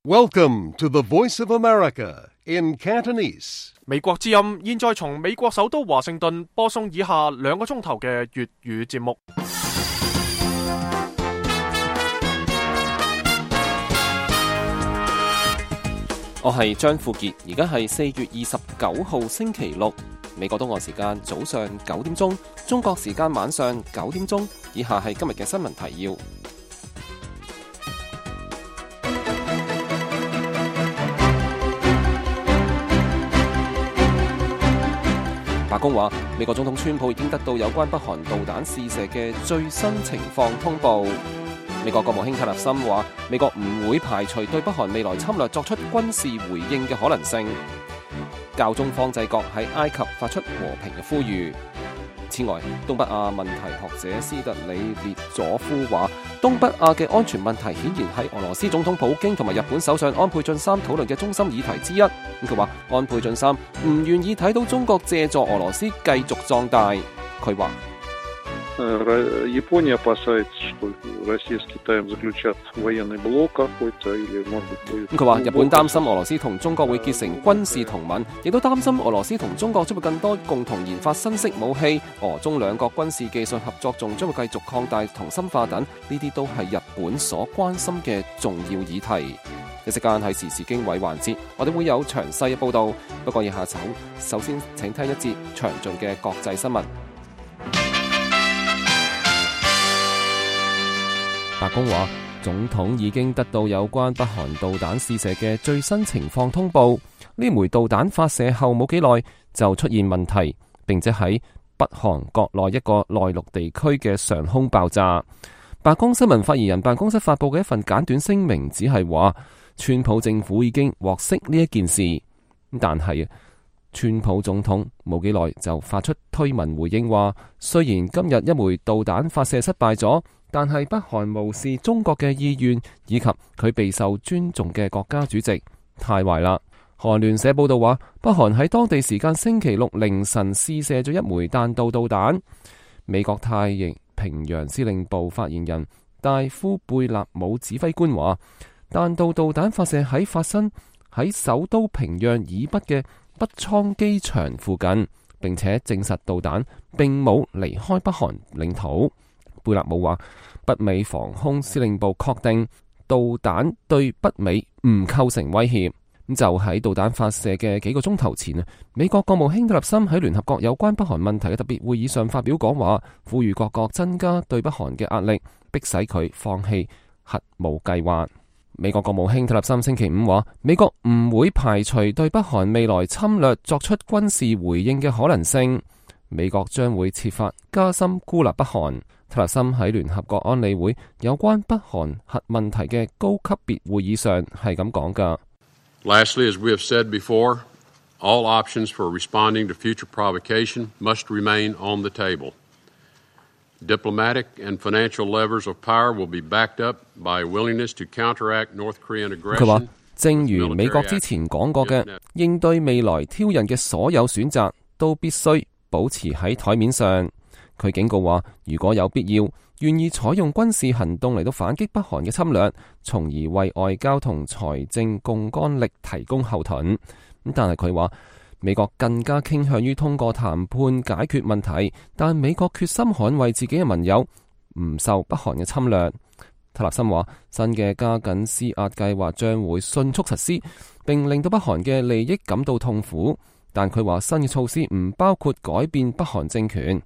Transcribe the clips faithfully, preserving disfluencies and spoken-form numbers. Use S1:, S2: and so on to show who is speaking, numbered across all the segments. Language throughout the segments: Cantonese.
S1: Welcome to the Voice of America in Cantonese.
S2: 美國之音現在從美國首都華盛頓播送以下兩個鐘頭嘅粵語節目。
S3: 我係張富傑，而家係四月二十九號星期六，美國東岸時間早上九點鐘，中國時間晚上九點鐘。以下係今日嘅新聞提要。白宮話，美國總統川普已經得到有關北韓導彈試射嘅最新情況通報。美國國務卿特勒森話，美國唔會排除對北韓未來侵略作出軍事回應嘅可能性。教宗方濟各喺埃及發出和平嘅呼籲。此外，東北亞問題學者斯特里列佐夫話，東北亞嘅安全問題顯然係俄羅斯總統普京同埋日本首相安倍晉三討論嘅中心議題之一。佢話安倍晉三唔願意睇到中國借助俄羅斯繼續壯大。佢話
S4: Япония опасается, что Россия с Китаем заключат военный блок какой-то, или может быть будет.
S3: 佢話日本擔心俄羅斯同中國會結成軍事同盟，亦都擔心俄羅斯同中國將會更多共同研發新式武器，俄中兩國軍事技術合作仲將會繼續擴大同深化等，呢啲都係日本所關心嘅重要議題。一時間係時事經緯環節，我哋會有詳細嘅報導，不過以下首首先請聽一節詳盡嘅國際新聞。白宮話，總統已經得到有關北韓導彈試射嘅最新情況通報。呢枚導彈發射後冇幾耐就出現問題，並且喺北韓國內一個內陸地區嘅上空爆炸。白宮新聞發言人辦公室發佈嘅一份簡短聲明只係話，川普政府已經獲悉呢一件事，但係川普總統冇幾耐就發出推文回應話，雖然今日一枚導彈發射失敗咗，但係北韓無視中國嘅意願以及佢備受尊重嘅國家主席，太壞啦。韓聯社報道話，北韓喺當地時間星期六凌晨試射咗一枚彈道導彈。美國太平洋司令部發言人戴夫貝納姆指揮官話，彈道導彈發射喺發生喺首都平壤以北嘅北倉機場附近，並且證實導彈並冇離開北韓領土。貝納姆話，北美防空司令部確定導彈對北美唔構成威脅。咁就喺導彈發射嘅幾個鐘頭前啊，美國國務卿特勒森喺聯合國有關北韓問題嘅特別會議上發表講話，呼籲各國增加對北韓嘅壓力，迫使佢放棄核武計劃。美國國務卿特勒森星期五話，美國唔會排除對北韓未來侵略作出軍事回應嘅可能性。美國將會設法加深孤立北韓。特勒森喺聯合國安理會有關北韓核問題嘅高級別會議上係咁講㗎。
S5: Lastly, as we have said before, all options for responding to future provocation must remain on the table. Diplomatic and financial levers of power will be backed up by willingness to counteract North Korean aggression.
S3: 佢話，正如美國之前講過嘅，應對未來挑釁嘅所有選擇都必須保持喺台面上。佢警告話，如果有必要，願意採用軍事行動嚟到反擊北韓嘅侵略，從而為外交同財政槓桿力提供後盾。但係佢話，美國更加傾向於通過談判解決問題，但美國決心捍衛自己嘅盟友，唔受北韓嘅侵略。特勒森話，新嘅加緊施壓計劃將會迅速實施，並令到北韓嘅利益感到痛苦。但佢話，新嘅措施唔包括改變北韓政權。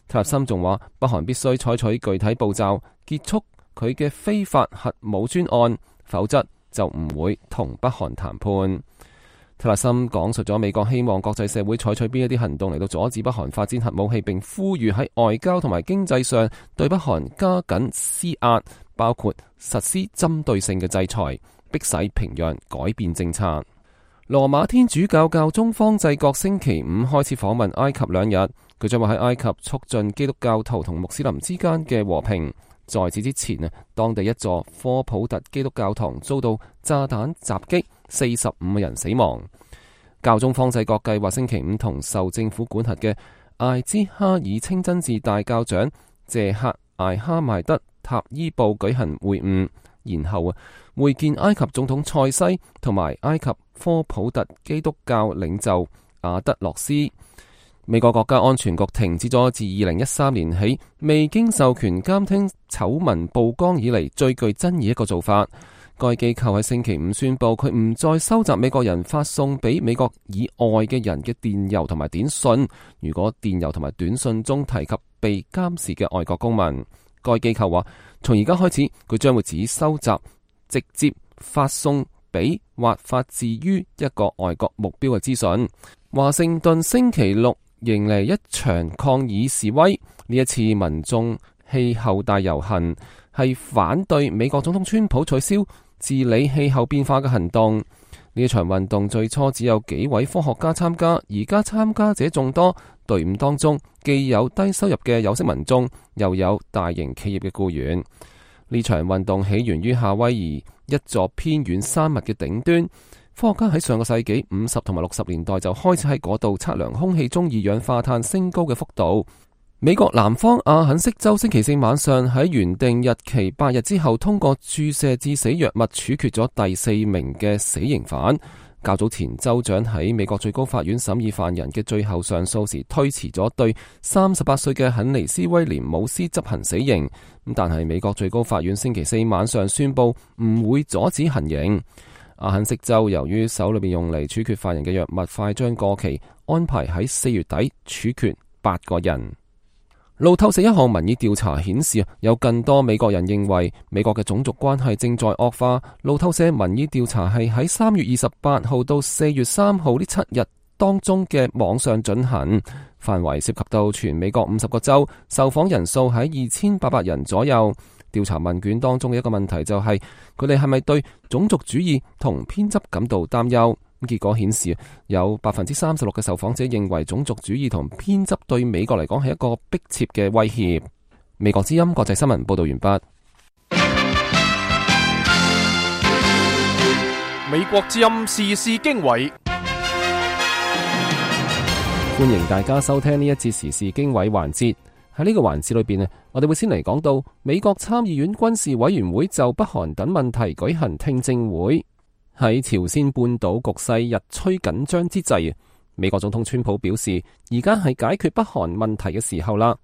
S3: 特勒森仲話，北韓必須採取具體步驟，結束佢嘅非法核武專案，否則就唔會同北韓談判。特勒森講述咗美國希望國際社會採取邊一啲行動嚟到阻止北韓發展核武器，並呼籲喺外交同埋經濟上對北韓加緊施壓，包括實施針對性嘅制裁，迫使平壤改變政策。羅馬天主教教宗方濟各星期五開始訪問埃及兩日，佢將會喺埃及促進基督教徒同穆斯林之間嘅和平。在此之前啊，當地一座科普特基督教堂遭到炸彈襲擊，四十五個人死亡。教宗方濟各計劃星期五同受政府管轄嘅艾茲哈爾清真寺大教長謝克艾哈邁德塔伊布舉行會晤，然後啊會見埃及總統塞西同埋埃及科普特基督教領袖阿德洛斯。美國國家安全局停止咗自二零一三年起未經授權監聽醜聞曝光以嚟最具爭議一個做法。該機構喺星期五宣布，佢唔再收集美國人發送俾美國以外嘅人嘅電郵同埋短信。如果電郵同埋短信中提及被監視嘅外國公民，該機構話，從而家開始，佢將會只收集直接發送俾或發自於一個外國目標嘅資訊。華盛頓星期六迎嚟一場抗議示威，呢一次民眾氣候大遊行係反對美國總統川普取消治理氣候變化嘅行動。呢一場運動最初只有幾位科學家參加，而家參加者眾多，隊伍當中既有低收入嘅有色民眾，又有大型企業嘅僱員。呢場運動起源於夏威夷一座偏遠山脈嘅頂端，科學家喺上個世紀五十同埋六十年代就開始喺嗰度測量空氣中二氧化碳升高嘅幅度。美國南方阿肯色州星期四晚上喺原定日期八日之後通過注射致死藥物處決咗第四名嘅死刑犯。較早前州長喺美國最高法院審議犯人嘅最後上訴時推遲咗對三十八歲嘅肯尼斯威廉姆斯執行死刑，但係美國最高法院星期四晚上宣布唔會阻止行刑。阿肯色州由於手裏邊用嚟處決犯人嘅藥物快將過期，安排喺四月底處決八個人。路透社一項民意調查顯示，有更多美國人認為美國嘅種族關係正在惡化。路透社民意調查係喺三月二十八號到四月三號呢七日當中嘅網上進行，範圍涉及到全美國五十個州，受訪人數喺二千八百人左右。調查問卷當中嘅一個問題就係佢哋係咪對種族主義同偏執感到擔憂。結果顯示，有百分之三十六嘅受訪者認為種族主義同偏執對美國嚟講係一個迫切嘅威脅。美國之音國際新聞報道完畢。
S2: 美國之音時事經緯，
S3: 歡迎大家收聽呢一節時事經緯環節。喺呢個環節裏邊呢，我哋會先嚟講到美國參議院軍事委員會就北韓等問題舉行聽證會。喺朝鮮半島局勢日趨緊張之際，美國總統川普表示，而家係解決北韓問題嘅時候啦。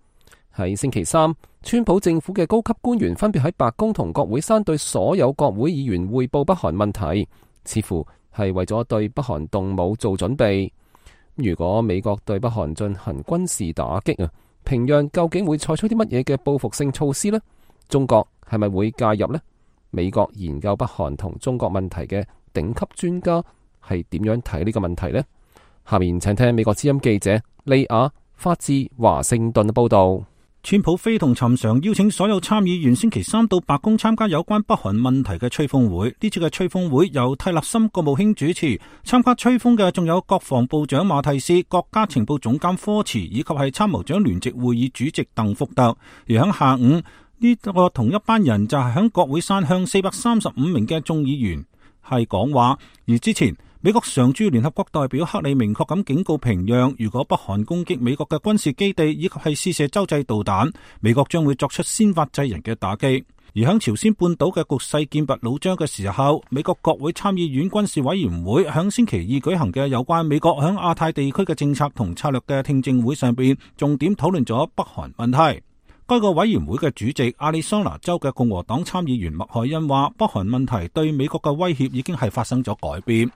S3: 喺星期三，川普政府嘅高級官員分別喺白宮同國會山對所有國會議員匯報北韓問題，似乎係為咗對北韓動武做準備。如果美國對北韓進行軍事打擊啊，平壤究竟會採取啲乜嘢嘅報復性措施呢？中國係咪會介入呢？美國研究北韓同中國問題嘅頂級專家係點樣睇呢個問題呢？下面請聽美國之音記者利亞發自華盛頓嘅報道。
S6: 川普非同尋常邀請所有參議員星期三到白宮參加有關北韓問題嘅吹風會。呢次嘅吹風會由蒂勒森國務卿主持，參加吹風嘅仲有國防部長馬蒂斯、國家情報總監科茨以及係參謀長聯席會議主席鄧福特。而喺下午呢個同一班人就係喺國會山向四百三十五名嘅眾議員係講話。而之前美國常駐聯合國代表克里明確咁警告平壤，如果北韓攻擊美國嘅軍事基地以及係試射洲際導彈，美國將會作出先發制人嘅打擊。而喺朝鮮半島嘅局勢劍拔弩張嘅時候，美國國會參議院軍事委員會喺星期二舉行嘅有關美國喺亞太地區嘅政策同策略嘅聽證會上邊，重點討論咗北韓問題。該個委員會嘅主席亞利桑那州嘅共和黨參議員麥凱恩話，北韓問題對美國嘅威脅已經係發生咗改變。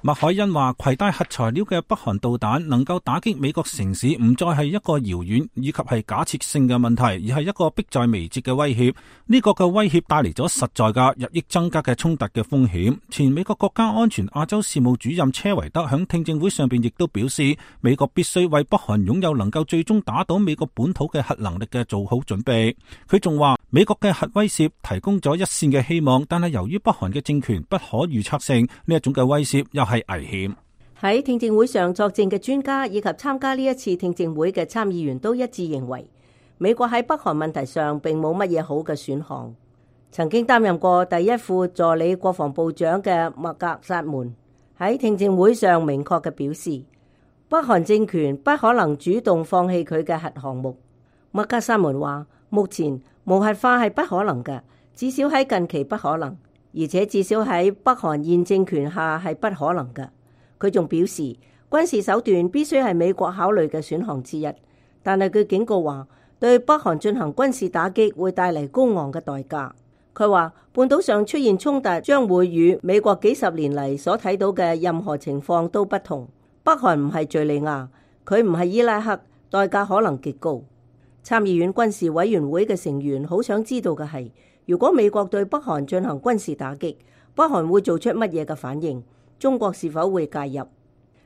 S6: 麥凱恩話，攜帶核材料嘅北韓導彈能夠打擊美國城市，唔再係一個遙遠以及係假設性嘅問題，而係一個迫在眉睫嘅威脅。呢、這個嘅威脅帶嚟咗實在嘅日益增加嘅衝突嘅風險。前美國國家安全亞洲事務主任車維德響聽證會上邊亦都表示，美國必須為北韓擁有能夠最終打倒美國本土嘅核能力嘅做好準備。佢仲話，美國嘅核威懾提供咗一線嘅希望，但係由於北韓嘅政權不可預測性，呢一種嘅威懾又係危險。
S7: 喺聽證會上作證嘅專家以及參加呢一次聽證會嘅參議員都一致認為，美國喺北韓問題上並冇乜嘢好嘅選項。曾經擔任過第一副助理國防部長嘅麥格薩門喺聽證會上明確嘅表示，北韓政權不可能主動放棄佢嘅核項目。麥格薩門話，目前無核化係不可能嘅，至少喺近期不可能，而且至少喺北韓現政權下係不可能嘅。佢仲表示，軍事手段必須係美國考慮嘅選項之一，但係佢警告話，對北韓進行軍事打擊會帶嚟高昂嘅代價。佢話半島上出現衝突將會與美國幾十年嚟所睇到嘅任何情況都不同。北韓唔係敘利亞，佢唔係伊拉克，代價可能極高。參議院軍事委員會嘅成員好想知道嘅係，如果美國對北韓進行軍事打擊，北韓會做出乜嘢嘅反應？中國是否會介入？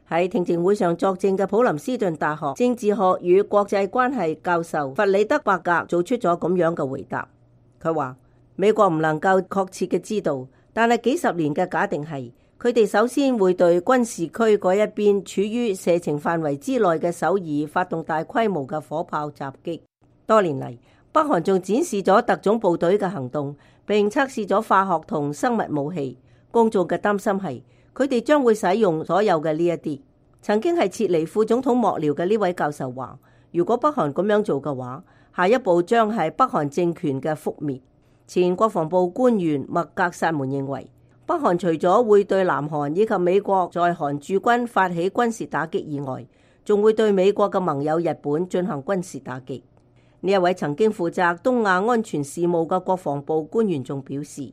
S7: 喺聽證會上作證嘅普林斯頓大學政治學與國際關係教授弗里德伯格做出咗咁樣嘅回答。佢話美國唔能夠確切嘅知道，但係幾十年嘅假定係，佢哋首先會對軍事區嗰一邊處於射程範圍之內嘅首爾發動大規模嘅火炮襲擊。多年嚟，北韓仲展示咗特種部隊嘅行動，並測試咗化學同生物武器。公眾嘅擔心係，佢哋將會使用所有嘅呢一啲。曾經係撤離副總統幕僚嘅呢位教授話，如果北韓咁樣做嘅話，下一步將係北韓政權嘅覆滅。前國防部官員麥格薩門認為，北韓除咗會對南韓以及美國在韓駐軍發起軍事打擊以外，仲會對美國嘅盟友日本進行軍事打擊。呢一位曾經負責東亞安全事務嘅國防部官員仲表示，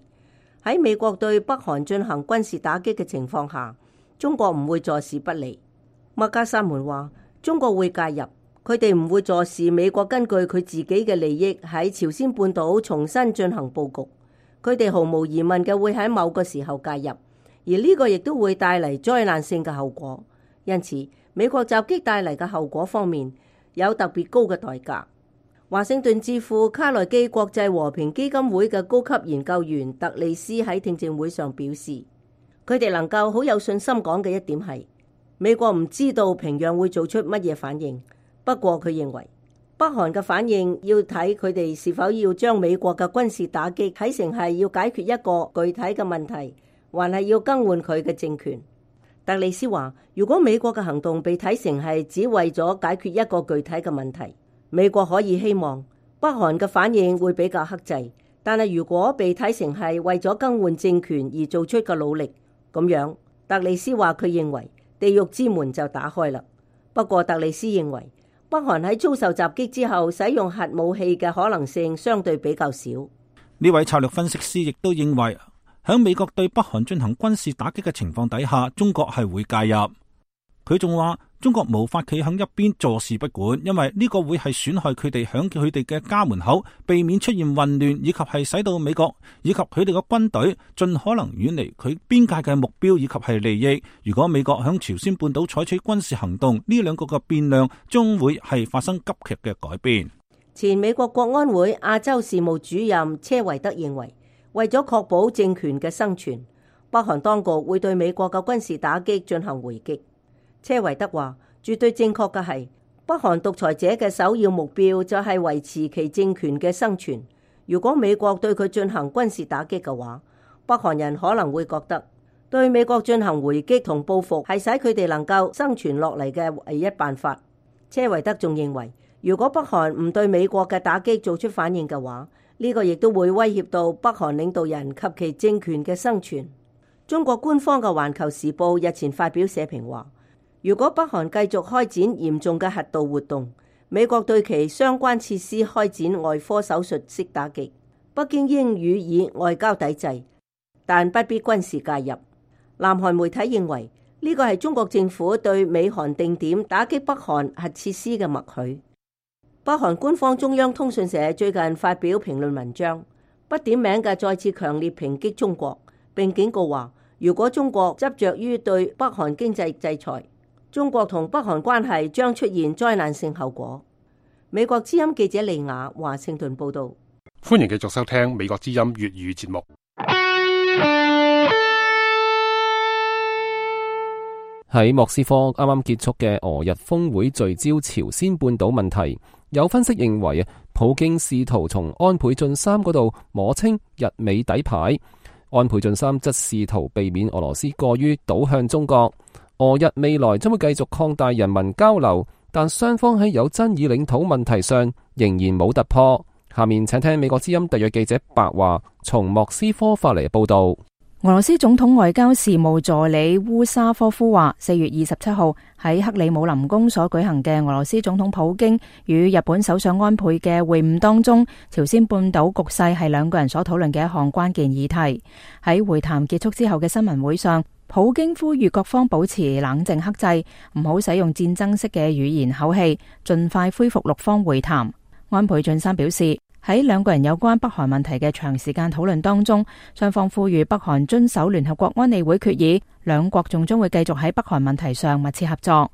S7: 喺美國對北韓進行軍事打擊嘅情況下，中國唔會坐視不理。麥格薩門話，中國會介入。佢哋唔會坐視美國根據佢自己嘅利益喺朝鮮半島重新進行佈局，佢哋毫無疑問嘅會喺某個時候介入，而呢個亦都會帶嚟災難性嘅後果。因此，美國襲擊帶嚟嘅後果方面有特別高嘅代價。華盛頓智庫卡內基國際和平基金會嘅高級研究員特利斯喺聽證會上表示，佢哋能夠好有信心講嘅一點係，美國唔知道平壤會做出乜嘢反應。不過佢認為北韓嘅反應要睇佢哋是否要將美國嘅軍事打擊睇成係要解決一個具體嘅問題，還係要更換佢嘅政權。特利斯話，如果美國嘅行動被睇成係只為咗解決一個具體嘅問題，美國可以希望北韓嘅反應會比較克制。但係如果被睇成係為咗更換政權而做出嘅努力，咁樣特利斯話佢認為地獄之門就打開啦。不過特利斯認為，北韓喺遭受襲擊之後使用核武器嘅可能性相對比較少。
S6: 呢位策略分析師亦都認為，喺美國對北韓進行軍事打擊嘅情況底下，中國係會介入。佢仲話，中國無法企喺一邊坐視不管，因為呢個會係損害佢哋響佢哋嘅家門口，避免出現混亂，以及係使到美國以及佢哋嘅軍隊盡可能遠離佢邊界嘅目標以及係利益。如果美國響朝鮮半島採取軍事行動，呢兩個嘅變量將會係發生急劇嘅改變。
S7: 前美國國安會亞洲事務主任車維德認為，為咗確保政權嘅生存，北韓當局會對美國嘅軍事打擊進行回擊。車維德話，絕對正確嘅係，北韓獨裁者嘅首要目標就係維持其政權嘅生存。如果美國對佢進行軍事打擊嘅話，北韓人可能會覺得對美國進行回擊同報復係使佢哋能夠生存落嚟嘅唯一辦法。車維德仲認為，如果北韓唔對美國嘅打擊做出反應嘅話，呢個亦都會威脅到北韓領導人及其政權嘅生存。中國官方嘅《環球時報》日前發表社評話，如果北韓繼續開展嚴重嘅核導活動，美國對其相關設施開展外科手術式打擊，北京應予以外交抵制，但不必軍事介入。南韓媒體認為呢個係中國政府對美韓定點打擊北韓核設施嘅默許。北韓官方中央通訊社最近發表評論文章，不點名嘅再次強烈抨擊中國，並警告話，如果中國執着於對北韓經濟制裁，中國同北韓關係將出現災難性後果。美國之音記者利雅華盛頓報道。
S8: 歡迎繼續收聽美國之音粵語節目。
S3: 喺莫斯科啱啱結束嘅俄日峰會聚焦朝鮮半島問題，有分析認為啊，普京試圖從安倍晉三嗰度摸清日美底牌，安倍晉三則試圖避免俄羅斯過於倒向中國。俄日未來將會繼續擴大人民交流，但雙方喺有爭議領土問題上仍然冇突破。下面請聽美國之音特約記者白華從莫斯科發嚟報道。
S9: 俄羅斯總統外交事務助理烏沙科夫話，四月二十七號喺克里姆林宮所舉行嘅俄羅斯總統普京與日本首相安倍嘅會晤當中，朝鮮半島局勢係兩個人所討論嘅一項關鍵議題。喺會談結束之後嘅新聞會上，普京呼籲各方保持冷靜克制，唔好使用戰爭式嘅語言口氣，盡快恢復六方會談。安倍晉三表示，喺兩個人有關北韓問題嘅長時間討論當中，雙方呼籲北韓遵守聯合國安理會決議，兩國仲將會繼續喺北韓問題上密切合作。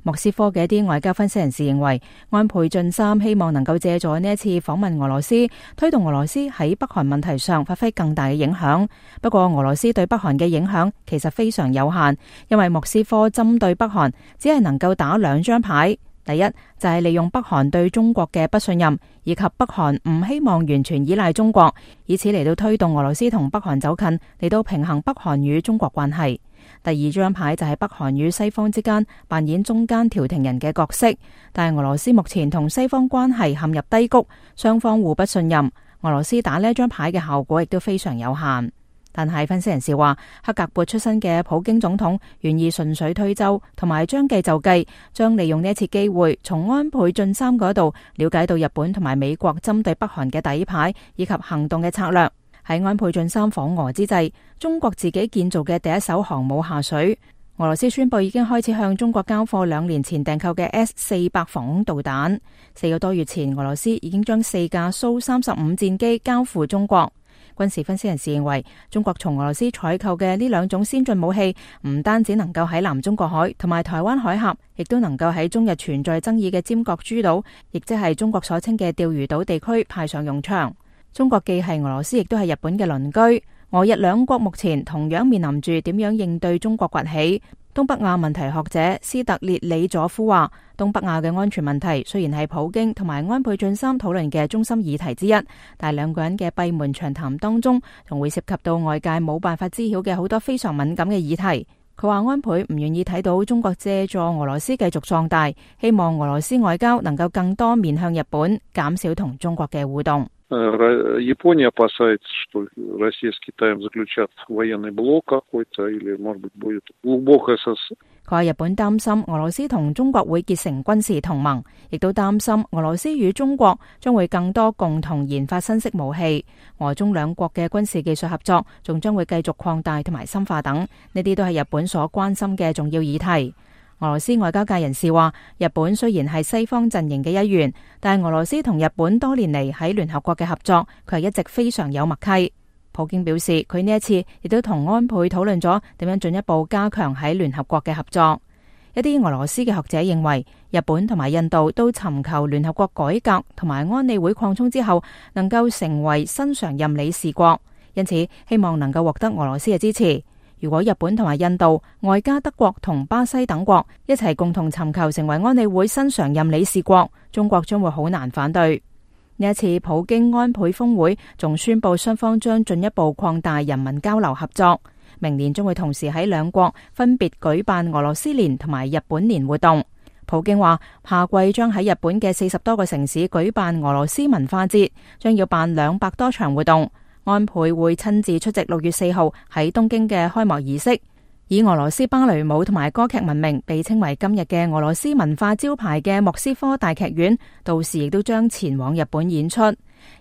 S9: 莫斯科嘅一啲外交分析人士認為，安倍晉三希望能夠借助呢一次訪問俄羅斯，推動俄羅斯喺北韓問題上發揮更大嘅影響。不過，俄羅斯對北韓嘅影響其實非常有限，因為莫斯科針對北韓只係能夠打兩張牌。第一就係利用北韓對中國嘅不信任，以及北韓唔希望完全依賴中國，以此嚟到推動俄羅斯同北韓走近，嚟到平衡北韓與中國關係。第二張牌就係北韓與西方之間扮演中間調停人嘅角色，但係俄羅斯目前同西方關係陷入低谷，雙方互不信任，俄羅斯打呢張牌嘅效果亦都非常有限。但係分析人士話，克格勃出身嘅普京總統願意順水推舟，同埋將計就計，將利用呢一次機會，從安倍晉三嗰度了解到日本同埋美國針對北韓嘅底牌以及行動嘅策略。喺安倍晉三訪俄之際，中國自己建造嘅第一艘航母下水，俄羅斯宣布已經開始向中國交貨兩年前訂購嘅 S 四百防空導彈。四個多月前，俄羅斯已經將四架蘇三十五戰機交付中國。軍事分析人士認為，中國從俄羅斯採購嘅呢兩種先進武器，唔單止能夠喺南中國海同埋台灣海峽，亦都能夠喺中日存在爭議嘅尖閣諸島，亦即係中國所稱嘅釣魚島地區派上用場。中國既係俄羅斯，亦都係日本嘅鄰居。俄日兩國目前同樣面臨住點樣應對中國崛起。東北亞問題學者斯特列里佐夫話，東北亞嘅安全問題雖然係普京同埋安倍晉三討論嘅中心議題之一，但係兩個人嘅閉門長談當中，仲會涉及到外界冇辦法知曉嘅好多非常敏感嘅議題。佢話安倍唔願意睇到中國借助俄羅斯繼續壯大，希望俄羅斯外交能夠更多面向日本，減少同中國嘅互動。
S4: Япония опасается, что Россия с Китаем заключат военный блок какой-то, или, может быть, будет глубокое СССР。
S9: 佢話日本擔心俄羅斯同中國會結成軍事同盟，亦都擔心俄羅斯與中國將會更多共同研發新式武器，俄中兩國嘅軍事技術合作仲將會繼續擴大同埋深化等，呢啲都係日本所關心嘅重要議題。俄羅斯外交界人士話，日本雖然係西方陣營嘅一員，但係俄羅斯同日本多年嚟喺聯合國嘅合作，佢係一直非常有默契。普京表示，佢呢一次亦都同安倍討論咗點樣進一步加強喺聯合國嘅合作。一啲俄羅斯嘅學者認為，日本同埋印度都尋求聯合國改革同埋安理會擴充之後，能夠成為新常任理事國，因此希望能夠獲得俄羅斯嘅支持。如果日本同埋印度，外加德國同巴西等國一齊共同尋求成為安理會新常任理事國，中國將會好難反對。呢一次普京安倍峰會仲宣布雙方將進一步擴大人民交流合作，明年將會同時喺兩國分別舉辦俄羅斯年同埋日本年活動。普京話下季將喺日本嘅四十多個城市舉辦俄羅斯文化節，將要辦兩百多場活動。安倍會親自出席六月四號喺東京嘅開幕儀式，以俄羅斯芭蕾舞同埋歌劇聞名，被稱為今日嘅俄羅斯文化招牌嘅莫斯科大劇院，到時亦都將前往日本演出。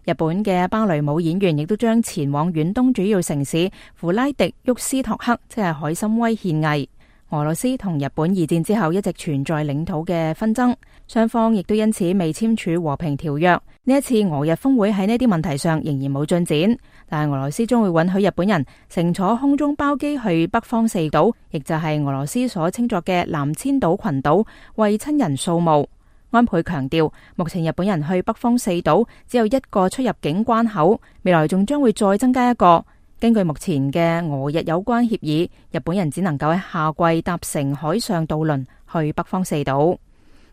S9: 日本嘅芭蕾舞演員亦都將前往遠東主要城市弗拉迪沃斯托克，即係海參崴獻藝。俄羅斯同日本二戰之後一直存在領土嘅紛爭，雙方亦都因此未簽署和平條約。呢一次俄日峰會喺呢啲問題上仍然冇進展，但係俄羅斯將會允許日本人乘坐空中包機去北方四島，亦就係俄羅斯所稱作嘅南千島群島，為親人掃墓。安倍強調，目前日本人去北方四島只有一個出入境關口，未來仲將會再增加一個。根據目前嘅俄日有關協議，日本人只能夠喺夏季搭乘海上渡輪去北方四島。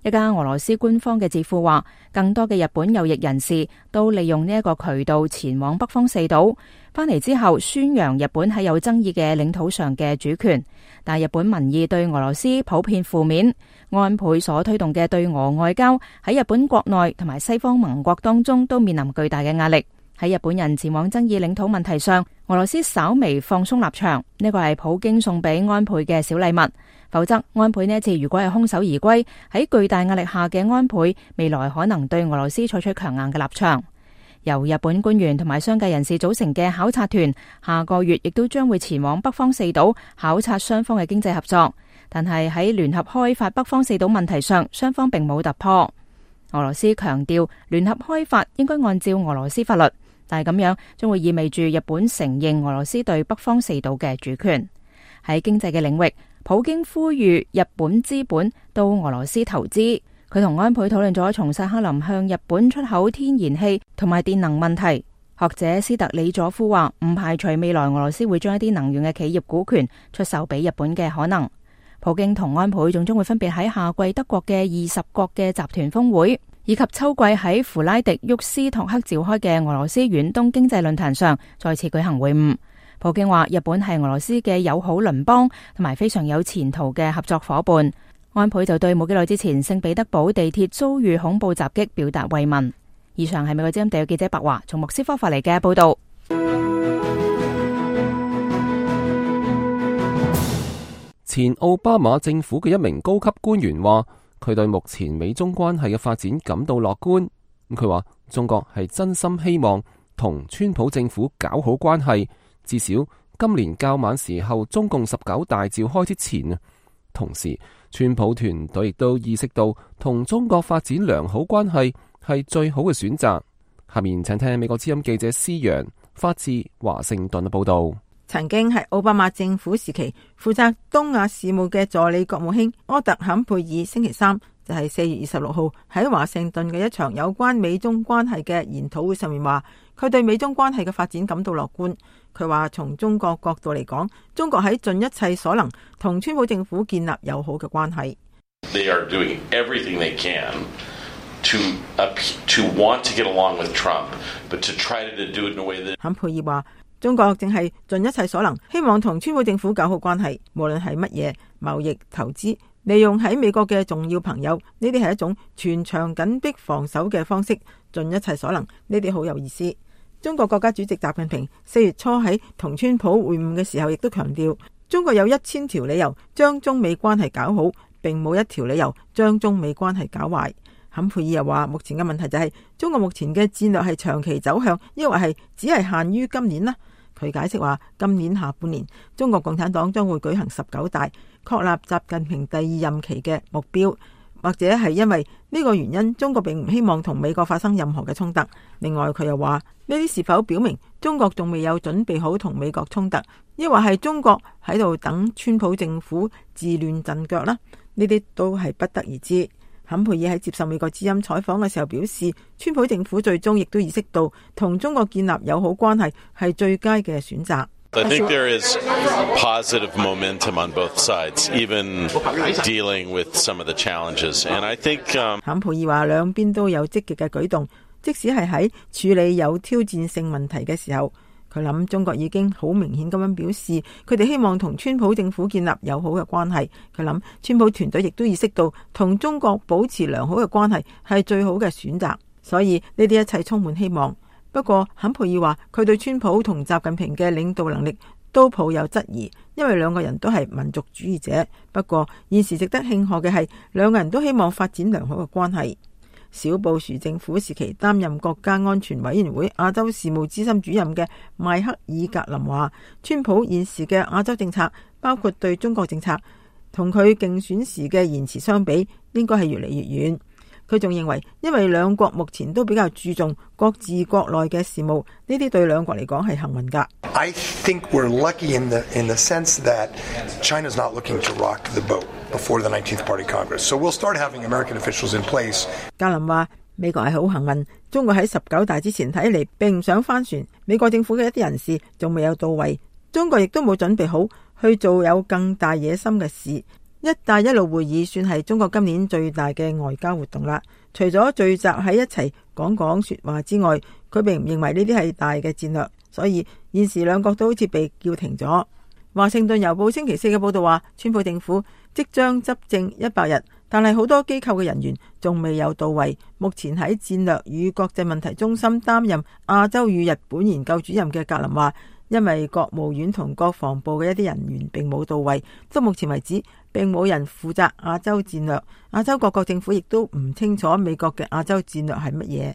S9: 一家俄羅斯官方嘅智庫話，更多嘅日本右翼人士都利用呢一個渠道前往北方四島，翻嚟之後宣揚日本喺有爭議嘅領土上嘅主權。但日本民意對俄羅斯普遍負面，安倍所推動嘅對俄外交喺日本國內同埋西方盟國當中都面臨巨大嘅壓力。喺日本人前往爭議領土問題上，俄羅斯稍微放鬆立場，呢個係普京送俾安倍嘅小禮物。否則，安倍呢一次如果係空手而歸，喺巨大壓力下嘅安倍，未來可能對俄羅斯採取強硬嘅立場。由日本官員同埋商界人士組成嘅考察團，下個月亦都將會前往北方四島考察雙方嘅經濟合作。但係喺聯合開發北方四島問題上，雙方並冇突破。俄羅斯強調聯合開發應該按照俄羅斯法律，但係咁樣將會意味住日本承認俄羅斯對北方四島嘅主權。喺經濟嘅領域，普京呼籲日本資本到俄羅斯投資。佢同安倍討論咗從薩克林向日本出口天然氣同埋電能問題。學者斯特里佐夫話，唔排除未來俄羅斯會將一啲能源嘅企業股權出售俾日本嘅可能。普京同安倍仲將會分別喺夏季德國嘅二十國嘅集團峰會，以及秋季喺弗拉迪沃斯托克召開嘅俄羅斯遠東經濟論壇上再次舉行會晤。普京話日本係俄羅斯嘅友好鄰邦同埋非常有前途嘅合作夥伴。安倍就對冇幾耐之前聖彼得堡地鐵遭遇恐怖襲擊表達慰問。以上係美國之音地約記者白華從莫斯科發嚟嘅報道。
S3: 前奧巴馬政府嘅一名高級官員話，佢對目前美中關係嘅發展感到樂觀。佢話中國係真心希望同川普政府搞好關係，至少今年較晚時候中共十九大召開之前啊。同時，川普團隊亦都意識到同中國發展良好關係係最好嘅選擇。下面請聽美國之音記者施陽發自華盛頓嘅報道。
S10: 曾經係奧巴馬政府時期負責東亞事務嘅助理國務卿柯特坎佩爾星期三就係四月二十六號喺華盛頓嘅一場有關美中關係嘅研討會上面話，佢對美中關係嘅發展感到樂觀。佢話從中國角度嚟講，中國喺盡一切所能同川普政府建立友好嘅關係。
S11: They are doing everything they can to to want to get along with Trump, but to try to do it in a way that
S10: 坎佩爾話，中國正係盡一切所能，希望同川普政府搞好關係，無論係乜嘢貿易、投資，利用喺美國嘅重要朋友，呢啲係一種全場緊迫防守嘅方式，盡一切所能，呢啲好有意思。中國國家主席習近平四月初喺同川普會晤嘅時候，亦都強調，中國有一千條理由將中美關係搞好，並冇一條理由將中美關係搞壞。坎佩爾又話，目前嘅問題就係、是、中國目前嘅戰略係長期走向，抑或係只係限於今年呢？佢解釋話，今年下半年中國共產黨將會舉行十九大，確立習近平第二任期嘅目標。或者係因為呢個原因，中國並唔希望同美國發生任何嘅衝突。另外，佢又話，呢啲是否表明中國仲未有準備好同美國衝突，抑或係中國喺度等川普政府自亂陣腳呢？呢啲都係不得而知。坎佩爾喺接受美國之音採訪嘅時候表示，川普政府最終亦都意識到同中國建立友好關係係最佳嘅選擇。
S11: I think there is positive momentum on both sides, even dealing with some of the challenges. And I think
S10: 坎佩爾話，兩邊都有積極嘅舉動，即使係喺處理有挑戰性問題嘅時候，佢諗中國已經好明顯咁樣表示，佢哋希望同川普政府建立友好嘅關係。佢諗川普團隊亦都意識到同中國保持良好嘅關係係最好嘅選擇，所以呢啲一切充滿希望。不過坎佩爾話，佢對川普同習近平嘅領導能力都抱有質疑，因為兩個人都係民族主義者。不過現時值得慶賀嘅係，兩個人都希望發展良好嘅關係。小布殊政府時期擔任國家安全委員會亞洲事務資深主任嘅邁克爾格林話，川普現時嘅亞洲政策，包括對中國政策，同佢競選時嘅言辭相比，應該係越嚟越遠。佢仲認為，因為兩國目前都比較注重各自國內嘅事務，呢啲對兩國嚟講係幸運㗎。
S12: I think we're lucky in the in the sense that China's not looking to rock the boat before the nineteenth Party Congress, so we'll start having American officials in place.
S10: 格林話：美國係好幸運，中國喺十九大之前睇嚟並唔想翻船，美國政府嘅一啲人士仲未有到位，中國亦都冇準備好去做有更大野心嘅事。一帶一路會議算係中國今年最大嘅外交活動啦。除咗聚集喺一齊講講說話之外，佢並唔認為呢啲係大嘅戰略，所以現時兩國都好似被叫停咗。華盛頓郵報星期四嘅報道話，川普政府即將執政一百日，但係好多機構嘅人員仲未有到位。目前喺戰略與國際問題中心擔任亞洲與日本研究主任嘅格林話，因為國務院同國防部嘅一啲人員並冇到位，到目前為止並冇人負責亞洲戰略。亞洲各國政府亦都唔清楚美國嘅亞洲戰略係乜嘢。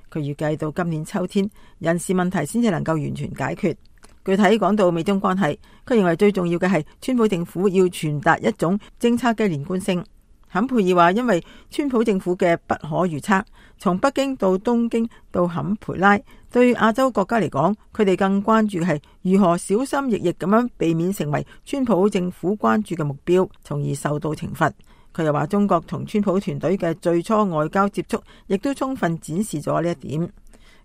S10: 佢預計到今年秋天，人事問題先至能夠完全解決。具體講到美中關係，佢認為最重要嘅係川普政府要傳達一種政策嘅連貫性。坎佩爾話，因為川普政府嘅不可預測，從北京到東京到坎培拉，對亞洲國家嚟講，佢哋更關注嘅係如何小心翼翼咁樣避免成為川普政府關注嘅目標，從而受到懲罰。佢又話，中國同川普團隊嘅最初外交接觸，亦都充分展示咗呢一點。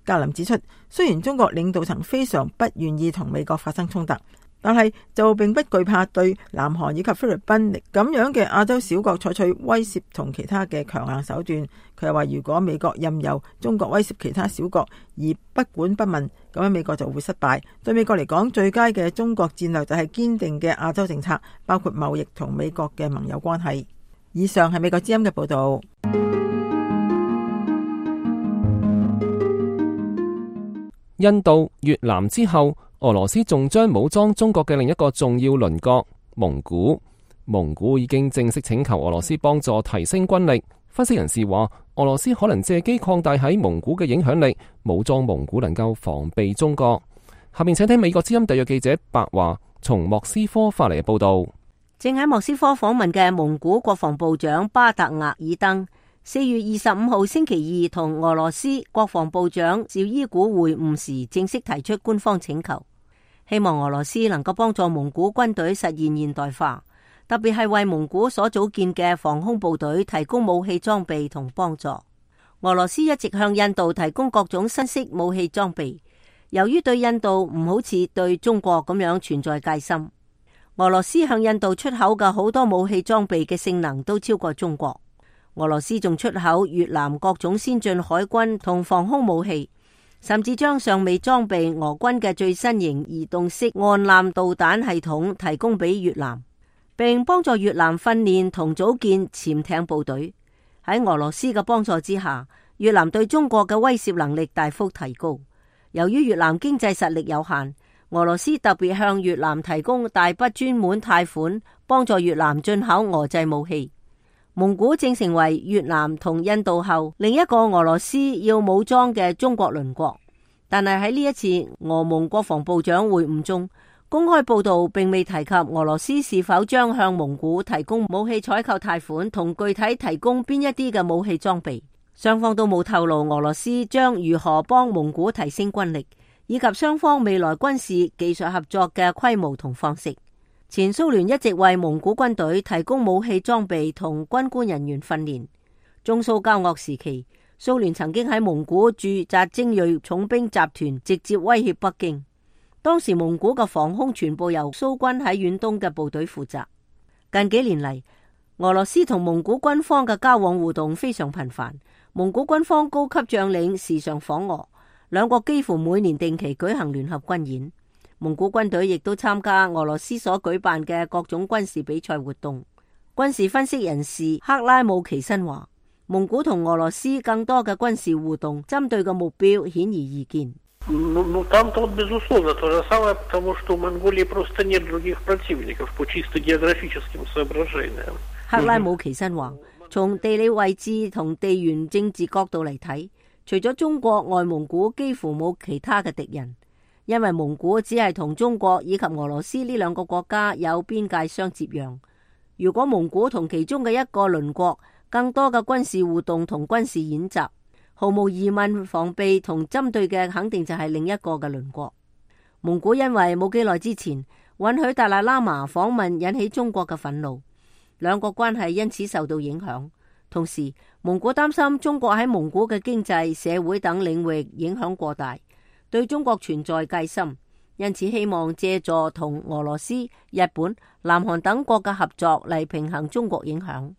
S10: 格林指出，雖然中國領導層非常不願意同美國發生衝突，但係就並不懼怕對南韓以及菲律賓咁樣嘅亞洲小國採取威懾同其他嘅強硬手段。佢又話，如果美國任由中國威懾其他小國而不管不問，咁樣美國就會失敗。對美國嚟講，最佳嘅中國戰略就係堅定嘅亞洲政策，包括貿易同美國嘅盟友關係。以上係美國之音嘅報道。
S3: 印度、越南之後，俄羅斯仲將武裝中國嘅另一個重要鄰國蒙古。蒙古已經正式請求俄羅斯幫助提升軍力。分析人士話，俄羅斯可能借機擴大喺蒙古嘅影響力，武裝蒙古能夠防備中國。下面請聽美國之音特約記者白華從莫斯科發嚟嘅報道。
S7: 正喺莫斯科訪問嘅蒙古國防部長巴特額爾登，四月二十五號星期二同俄羅斯國防部長紹伊古會晤時，正式提出官方請求，希望俄羅斯能夠幫助蒙古軍隊實現現代化，特別係為蒙古所組建嘅防空部隊提供武器裝備同幫助。俄羅斯一直向印度提供各種新式武器裝備，由於對印度唔好似對中國咁樣存在戒心，俄羅斯向印度出口嘅好多武器裝備嘅性能都超過中國。俄羅斯仲出口越南各種先進海軍同防空武器，甚至將尚未裝備俄軍嘅最新型移動式岸艦導彈系統提供俾越南，並幫助越南訓練同組建潛艇部隊。喺俄羅斯嘅幫助之下，越南對中國嘅威懾能力大幅提高。由於越南經濟實力有限，俄羅斯特別向越南提供大筆專門貸款，幫助越南進口俄製武器。蒙古正成為越南同印度後另一個俄羅斯要武裝嘅中國鄰國，但係喺呢一次俄蒙國防部長會晤中，公開報道並未提及俄羅斯是否將向蒙古提供武器採購貸款同具體提供邊一啲嘅武器裝備。雙方都冇透露俄羅斯將如何幫蒙古提升軍力，以及雙方未來軍事技術合作嘅規模同方式。前蘇聯一直為蒙古軍隊提供武器裝備同軍官人員訓練。中蘇交惡時期，蘇聯曾經喺蒙古駐紮精銳重兵集團，直接威脅北京。當時蒙古嘅防空全部由蘇軍喺遠東嘅部隊負責。近幾年嚟，俄羅斯同蒙古軍方嘅交往互動非常頻繁，蒙古軍方高級將領時常訪俄，兩國幾乎每年定期舉行聯合軍演。蒙古軍隊亦都參加俄羅斯所舉辦嘅各種軍事比賽活動。軍事分析人士克拉姆奇申話，蒙古同俄羅斯更多嘅軍事互動針對嘅目標顯而易見。克拉姆奇申話，從地理位置同地緣政治角度嚟睇，除咗中國，外蒙古幾乎冇其他嘅敵人。因為蒙古只係同中國以及俄羅斯呢兩個國家有邊界相接壤，如果蒙古同其中嘅一個鄰國更多嘅軍事互動同軍事演習，毫無疑問防備同針對嘅肯定就係另一個嘅鄰國。蒙古因為冇幾耐之前允許達賴喇嘛訪問，引起中國嘅憤怒，兩國關係因此受到影響。同時，蒙古擔心中國喺蒙古嘅經濟、社會等領域影響過大，對中國存在戒心，因此希望借助同俄羅斯、日本、南韓等國嘅合作嚟平衡中國影響。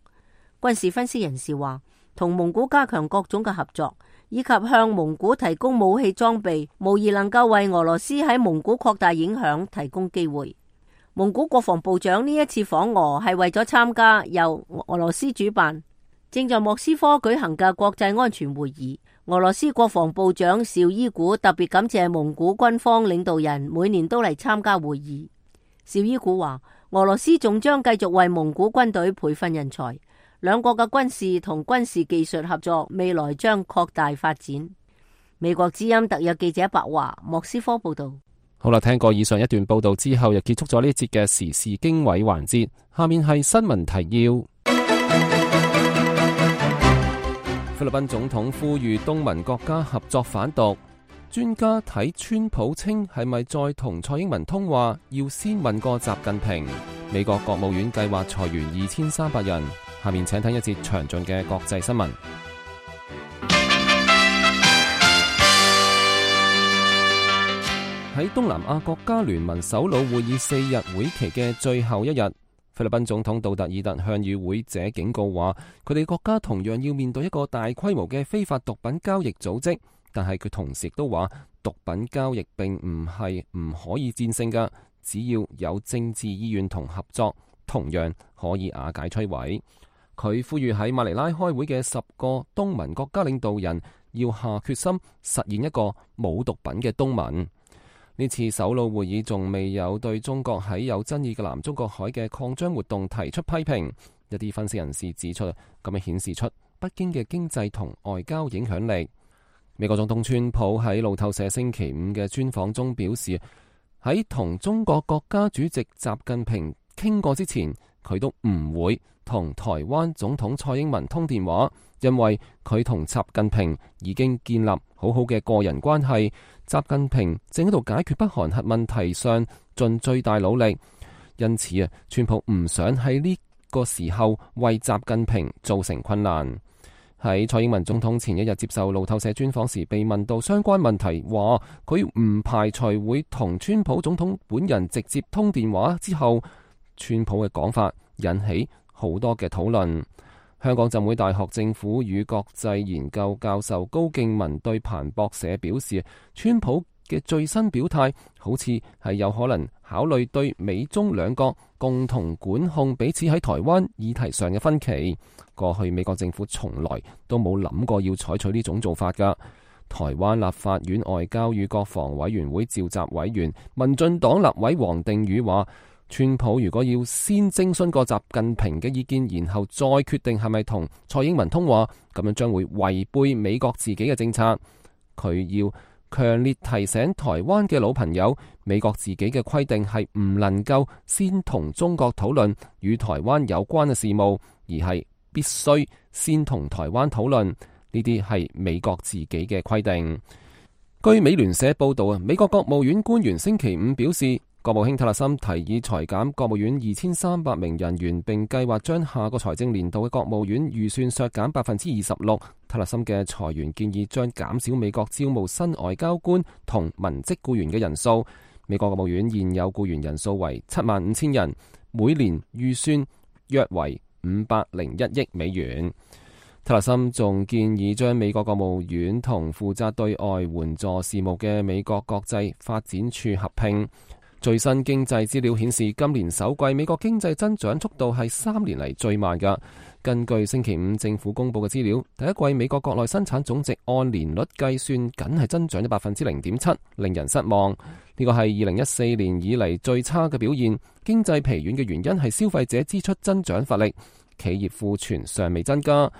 S7: 軍事分析人士話，同蒙古加強各種嘅合作，以及向蒙古提供武器裝備，無疑能夠為俄羅斯喺蒙古擴大影響提供機會。蒙古國防部長呢一次訪俄係為咗參加由俄羅斯主辦，正在莫斯科舉行嘅國際安全會議。俄羅斯國防部長紹伊古特別感謝蒙古軍方領導人每年都嚟參加會議。紹伊古話，俄羅斯仲將繼續為蒙古軍隊培訓人才，兩國嘅軍事同軍事技術合作未來將擴大發展。美國之音特約記者白華莫斯科報道。
S3: 好啦，聽過以上一段報道之後，又結束咗呢一節嘅時事經緯環節。下面係新聞提要。菲律賓總統呼籲東盟國家合作反獨。專家睇川普稱係咪再同蔡英文通話，要先問過習近平。美國國務院計劃裁員二千三百人。下面請聽一節詳盡嘅國際新聞。喺東南亞國家聯盟首腦會議四日會期嘅最後一日，菲律賓總統杜特爾特向與會者警告話，佢哋國家同樣要面對一個大規模嘅非法毒品交易組織，但係佢同時亦都話，毒品交易並唔係唔可以戰勝㗎，只要有政治意願同合作，同樣可以瓦解摧毀。佢呼籲喺馬尼拉開會嘅十個東盟國家領導人要下決心實現一個冇毒品嘅東盟。呢次首腦會議仲未有對中國喺有爭議嘅南中國海嘅擴張活動提出批評。一啲分析人士指出，咁樣顯示出北京嘅經濟同外交影響力。美國總統川普喺路透社星期五嘅專訪中表示，喺同中國國家主席習近平傾過之前，佢都唔會同台灣總統蔡英文通電話，因為佢同習近平已經建立好好嘅個人關係。習近平正喺度解決北韓核問題上盡最大努力，因此啊，川普唔想喺呢個時候為習近平造成困難。喺蔡英文總統前一日接受路透社專訪時，被問到相關問題，話佢唔排除會同川普總統本人直接通電話之後，川普嘅講法引起好多嘅討論。香港浸會大學政府與國際研究教授高敬文對彭博社表示，川普嘅最新表態好似係有可能考慮對美中兩國共同管控彼此喺台灣議題上嘅分歧。過去美國政府從來都冇諗過要採取呢種做法㗎。台灣立法院外交與國防委員會召集委員民進黨立委黃定宇話，川普如果要先徵詢過習近平嘅意見，然後再決定係咪同蔡英文通話，咁樣將會違背美國自己嘅政策。佢要強烈提醒台灣嘅老朋友，美國自己嘅規定係唔能夠先同中國討論與台灣有關嘅事務，而係必須先同台灣討論，呢啲係美國自己嘅規定。據美聯社報道啊，美國國務院官員星期五表示，國務卿塔勒森提議裁減國務院二千三百名人員，並計劃將下個財政年度嘅國務院預算削減百分之二十六。塔勒森嘅裁員建議將減少美國招募新外交官同文職僱員嘅人數。美國國務院現有僱員人數為七萬五千人，每年預算約為五百零一億美元。塔勒森仲建議將美國國務院同負責對外援助事務嘅美國國際發展處合併。最新經濟資料顯示，今年首季美國經濟增長速度係三年嚟最慢㗎。根據星期五政府公佈嘅資料，第一季美國國內生產總值按年率計算，僅係增長咗百分之零點七，令人失望。呢個係二零一四年以嚟最差嘅表現。經濟疲軟嘅原因係消費者支出增長乏力，企業庫存尚未增加。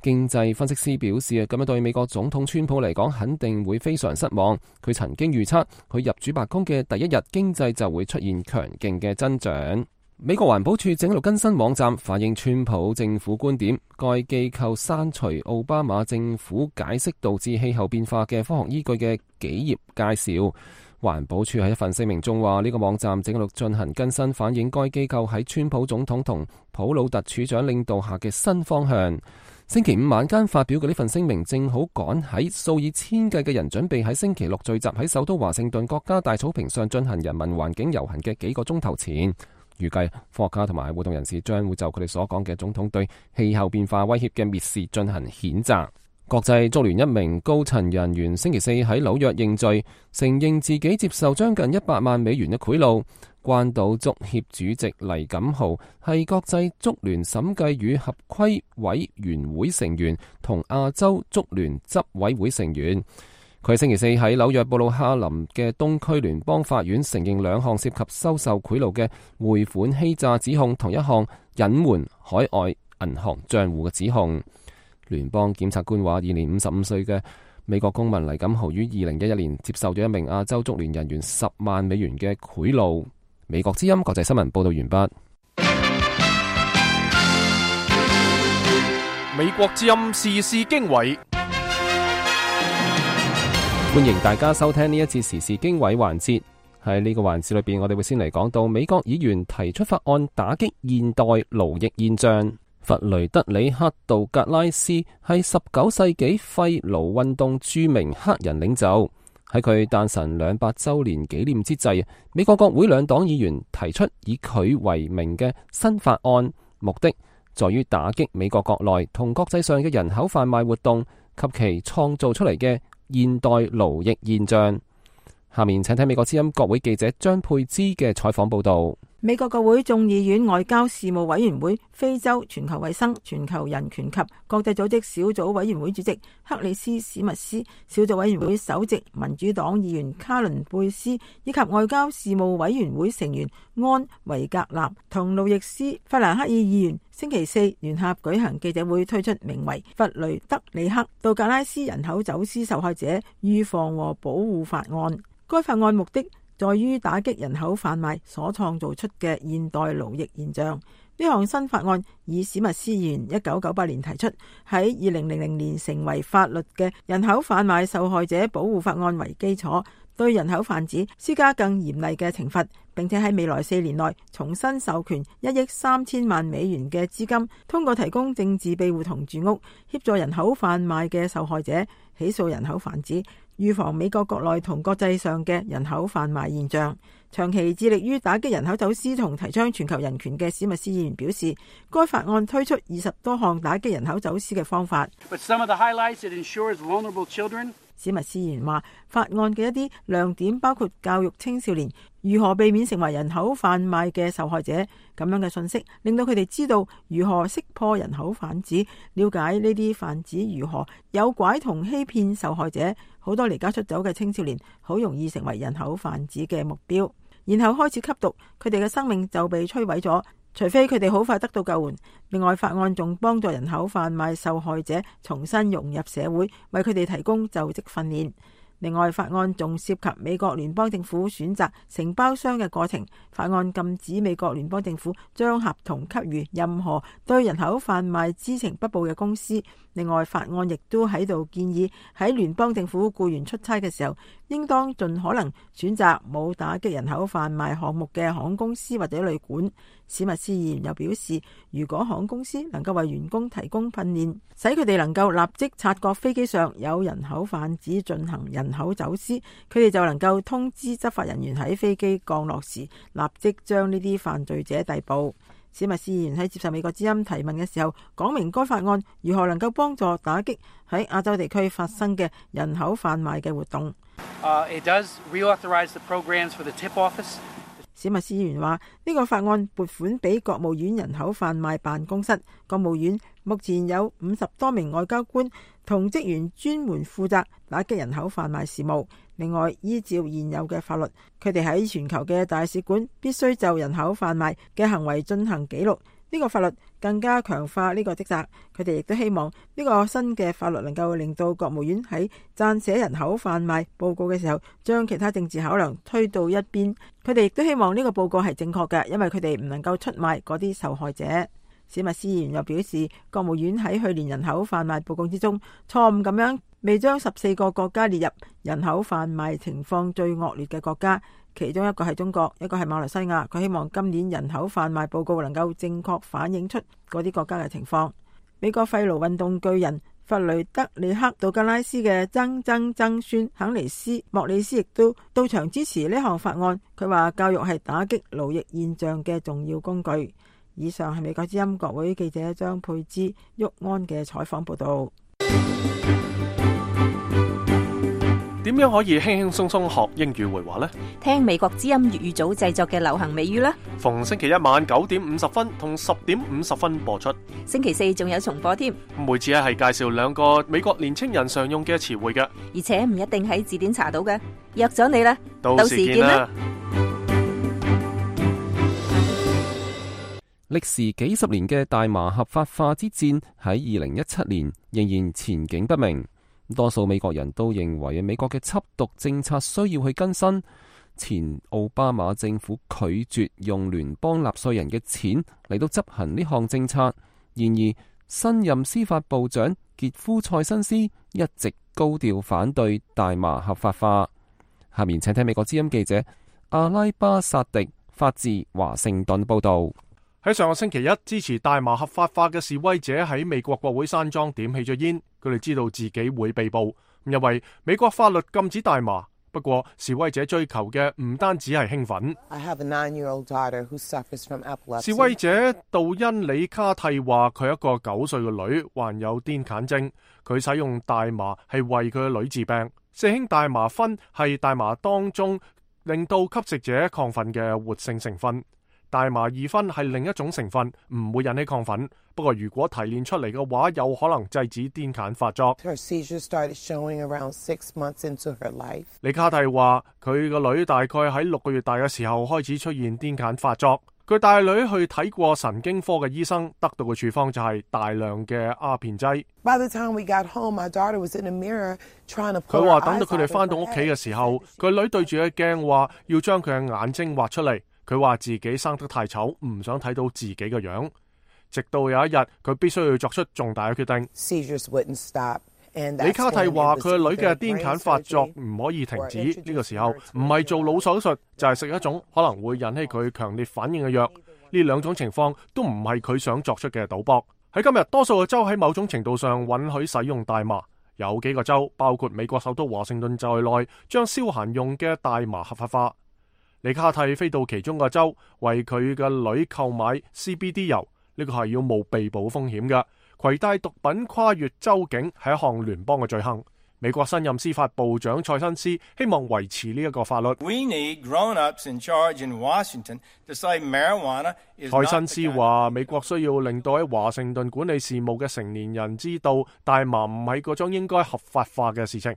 S3: 經濟分析師表示，咁樣對美國總統川普嚟講肯定會非常失望。佢曾經預測佢入主白宮嘅第一日經濟就會出現強勁嘅增長。美國環保署正喺度更新網站反映川普政府觀點，該機構刪除奧巴馬政府解釋導致氣候變化嘅科學依據嘅幾頁介紹。環保署喺一份聲明中話，呢個網站正喺度進行更新，反映該機構喺川普總統同普魯特署長領導下嘅新方向。星期五晚間發表嘅呢份聲明，正好趕喺數以千計嘅人準備喺星期六聚集喺首都華盛頓國家大草坪上進行人民環境遊行嘅幾個鐘頭前。預計科學家同埋活動人士將會就佢哋所講嘅總統對氣候變化威脅嘅蔑視進行譴責。國際足聯一名高層人員星期四喺紐約認罪，承認自己接受將近一百萬美元嘅賄賂。關島足協主席黎錦豪係國際足聯審計與合規委員會成員同亞洲足聯執委會成員。佢星期四喺紐約布魯克林嘅東區聯邦法院承認兩項涉及收受賄賂嘅匯款欺詐指控，同一項隱瞞海外銀行賬戶嘅指控。聯邦檢察官話，現年五十五歲嘅美國公民黎錦豪於二零一一年接受咗一名亞洲足聯人員十萬美元嘅賄賂。美國之音國際新聞報道完畢。
S2: 美國之音時事經緯，
S3: 歡迎大家收聽呢一次時事經緯環節。喺呢個環節裏邊，我哋會先嚟講到美國議員提出法案打擊現代奴役現象。弗雷德里克·道格拉斯係十九世紀廢奴運動著名黑人領袖。喺佢誕辰兩百周年紀念之際，美國國會兩黨議員提出以佢為名嘅新法案，目的在於打擊美國國內同國際上嘅人口販賣活動及其創造出嚟嘅現代奴役現象。下面請睇美國之音國會記者張佩芝嘅採訪報道。
S10: 美國國會眾議院外交事務委員會非洲、全球衛生、全球人權及國際組織小組委員會主席克里斯史密斯、小組委員會首席民主黨議員卡倫貝斯以及外交事務委員會成員安維格納同路易斯法蘭克爾議員星期四聯合舉行記者會，推出名為弗雷德里克·道格拉斯人口走私受害者預防和保護法案。該法案目的在於打擊人口販賣所創造出嘅現代奴役現象。呢項新法案以史密斯議員一九九八年提出，喺二零零零年成為法律嘅人口販賣受害者保護法案為基礎，對人口販子施加更嚴厲嘅懲罰，並且喺未來四年內重新授權一億三千萬美元嘅資金，通過提供政治庇護同住屋，協助人口販賣嘅受害者起訴人口販子，預防美國國內同國際上嘅人口販賣現象。長期致力於打擊人口走私同提倡全球人權嘅史密斯議員表示，該法案推出二十多項打擊人口走私嘅方法。
S13: But some of the highlights, it ensures vulnerable children
S10: 史密斯議員話，法案嘅一啲亮點包括教育青少年如何避免成為人口販賣嘅受害者，咁樣嘅信息令到佢哋知道如何識破人口販子，了解呢啲販子如何誘拐同欺騙受害者。好多離家出走嘅青少年好容易成為人口販子嘅目標，然後開始吸毒，佢哋嘅生命就被摧毀咗，除非佢哋好快得到救援。另外，法案仲幫助人口販賣受害者重新融入社會，為佢哋提供就職訓練。另外，法案仲涉及美國聯邦政府選擇承包商嘅過程。法案禁止美國聯邦政府將合同給予任何對人口販賣知情不報嘅公司。另外，法案亦都喺度建議喺聯邦政府僱員出差嘅時候，應當盡可能選擇冇打擊人口販賣項目嘅航空公司或者旅館。史密斯議員又表示，如果航空公司能夠為員工提供訓練，使佢哋能夠立即察覺飛機上有人口販子進行人口走私，佢哋就能夠通知執法人員喺飛機降落時立即將呢啲犯罪者逮捕。史密斯議員喺接受美國之音提問嘅時候，講明該法案如何能夠幫助打擊喺亞洲地區發生嘅人口販賣嘅活動。
S13: Uh, it does reauthorize the programs for the tip office.
S10: 史密斯議員話：呢個法案撥款俾國務院人口販賣辦公室，國務院目前有五十多名外交官同職員專門負責打擊人口販賣事務。另外，依照現有嘅法律，佢哋喺全球嘅大使館必須就人口販賣嘅行為進行記錄。呢個法律更加強化呢個職責。佢哋亦都希望呢個新嘅法律能夠令到國務院喺撰寫人口販賣報告嘅時候，將其他政治考量推到一邊。佢哋亦都希望呢個報告係正確嘅，因為佢哋唔能夠出賣嗰啲受害者。史密斯議員又表示，國務院喺去年人口販賣報告之中，錯誤咁樣未將十四個國家列入人口販賣情況最惡劣嘅國家，其中一個係中國，一個係馬來西亞。佢希望今年人口販賣報告能夠正確反映出嗰啲國家嘅情況。美國廢爐運動巨人弗雷德里克杜格拉斯嘅曾曾曾孫肯尼斯莫里斯亦都到場支持呢項法案。佢話教育係打擊勞役現象嘅重要工具。以上係美國之音國會記者張佩芝、沃安嘅採訪報道。
S2: 點樣可以輕輕鬆鬆學英語會話呢？
S14: 聽美國之音粵語組製作嘅流行美語啦。
S2: 逢星期一晚九點五十分同十點五十分播出。
S14: 星期四仲有重播添。
S2: 每次咧係介紹兩個美國年青人常用嘅詞彙嘅，
S14: 而且唔一定喺字典查到嘅。約咗你啦，
S2: 到時見啦。
S3: 歷時幾十年嘅大麻合法化之戰喺二零一七年仍然前景不明。多數美國人都認為美國嘅緝毒政策需要去更新。前奧巴馬政府拒絕用聯邦納稅人嘅錢嚟到執行呢項政策。然而，新任司法部長傑夫塞辛斯一直高調反對大麻合法化。下面請聽美國之音記者阿拉巴薩迪發自華盛頓報道。
S2: 喺上個星期一，支持大麻合法化嘅示威者喺美國國會山莊點起咗煙，佢哋知道自己會被捕，因為美國法律禁止大麻。不過示威者追求嘅唔單止係興奮。
S15: I have a nine-year-old daughter who suffers from epilepsy.
S2: 示威者杜恩里卡蒂話佢一個九歲嘅女患有癲癇症，佢使用大麻係為佢嘅女治病。四氫大麻酚係大麻當中令到吸食者亢奮嘅活性成分。大麻二酚係另一種成分，唔會引起亢奮。不過如果提煉出嚟嘅話，有可能制止癲癇發作。李卡蒂話佢個女大概喺六個月大嘅時候開始出現癲癇發作。佢帶女去睇過神經科嘅醫生，得到嘅處方就係大量嘅鴉片劑。佢話等到佢哋翻到屋企嘅時候，佢女對住個鏡話要將佢嘅眼睛挖出嚟。佢話自己生得太醜，唔想睇到自己嘅樣。直到有一日，佢必須要作出重大嘅決定。李卡蒂話佢個女嘅癲癇發作唔可以停止，呢、這個時候唔係做腦手術，就係、是、食一種可能會引起佢強烈反應嘅藥。呢兩種情況都唔係佢想作出嘅賭博。喺今日，多數嘅州喺某種程度上允許使用大麻，有幾個州，包括美國首都華盛頓在內，將消閒用嘅大麻合法化。李卡蒂飛到其中個州，為佢嘅女購買 C B D 油，呢、這個係要冒被捕風險嘅。攜帶毒品跨越州境係一項聯邦嘅罪行。美國新任司法部長塞辛斯希望維持呢一個法律。塞辛斯話：美國需要令到喺華盛頓管理事務嘅成年人知道，大麻唔係嗰種應該合法化嘅事情。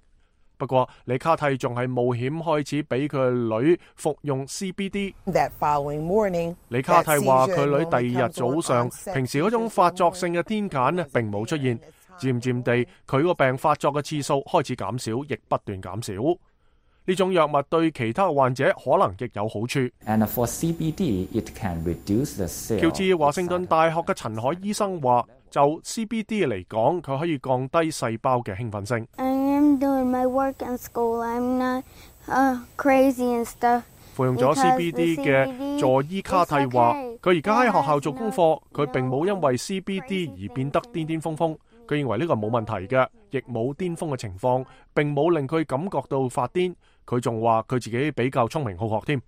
S2: 不過，李卡蒂仲係冒險開始俾佢女服用 C B D。morning, 李卡蒂話佢女第二日早上，平時嗰種發作性嘅癲癇呢並冇出現，漸漸地佢個病發作嘅次數開始減少，亦不斷減少。呢種藥物對其他患者可能亦有好處。
S16: And for C B D, it can reduce the sale.
S2: 喬治華盛頓大學嘅陳海醫生話，就 C B D 嚟講，佢可以降低細胞嘅興奮性。
S17: Doing my work in school. I'm not, uh, crazy and stuff.
S2: 服用咗 C B D 嘅佐伊卡蒂話，佢而家喺學校做功課，佢並冇因為 C B D 而變得癲癲瘋瘋。佢認為呢個冇問題嘅，亦冇癲瘋嘅情況，並冇令佢感覺到發癲。佢仲話佢自己比較聰明好學添。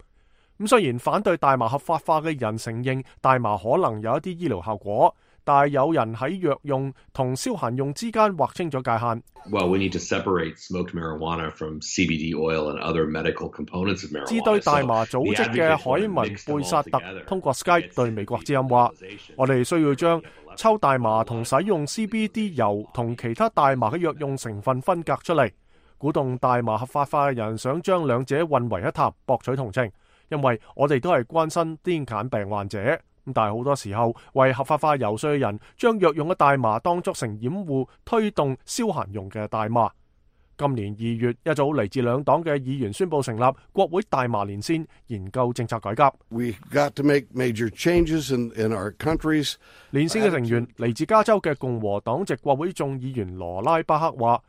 S2: 咁雖然反對大麻合法化嘅人承認大麻可能有一啲醫療效果，但係有人喺藥用同消閒用之間劃清咗界限。
S18: Well, we need to separate smoked marijuana from C B D oil and other medical components of marijuana.
S2: 支對大麻組織嘅海文貝薩特通過 Skype 對美國之音話：我哋需要將抽大麻同使用 C B D 油同其他大麻嘅藥用成分分隔出嚟，鼓動大麻合法化嘅人想將兩者混為一談，博取同情。因為我哋都係關心癲癇病患者。咁但係好多時候，為合法化游說嘅人將藥用嘅大麻當作成掩護，推動消閒用嘅大麻。今年二月，一組嚟自兩黨嘅議員宣布成立國會大麻連線，研究政策改革。
S19: We've got to make major changes in, in our countries.
S2: 連線嘅成員嚟自加州嘅共和黨籍國會眾議員羅拉巴克話：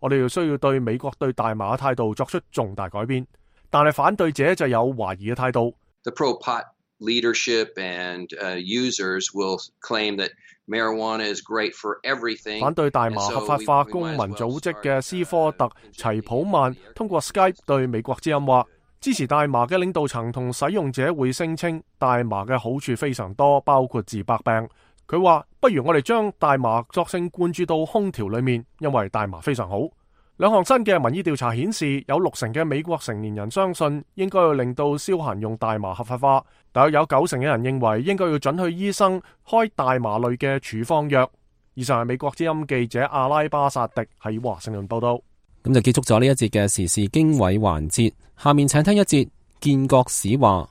S2: 我哋要需要對美國對大麻嘅態度作出重大改變。但係反對者就有懷疑嘅態度。
S20: The pro-pot leadership and uh, users will claim that marijuana is great for everything.
S2: 反對大麻合法化公民組織嘅斯科特齊普曼通過 Skype 對美國之音話，支持大麻嘅領導層同使用者會聲稱大麻嘅好處非常多，包括治百病。佢話：不如我哋將大麻作性灌注到空調裏面，因為大麻非常好。兩項新嘅民意調查顯示，有六成嘅美國成年人相信應該要令到消閒用大麻合法化，但有九成嘅人認為應該要准許醫生開大麻類嘅處方藥。以上係美國之音記者阿拉巴薩迪喺華盛頓報道。
S3: 咁就結束咗呢一節嘅時事經緯環節，下面請聽一節建國史話。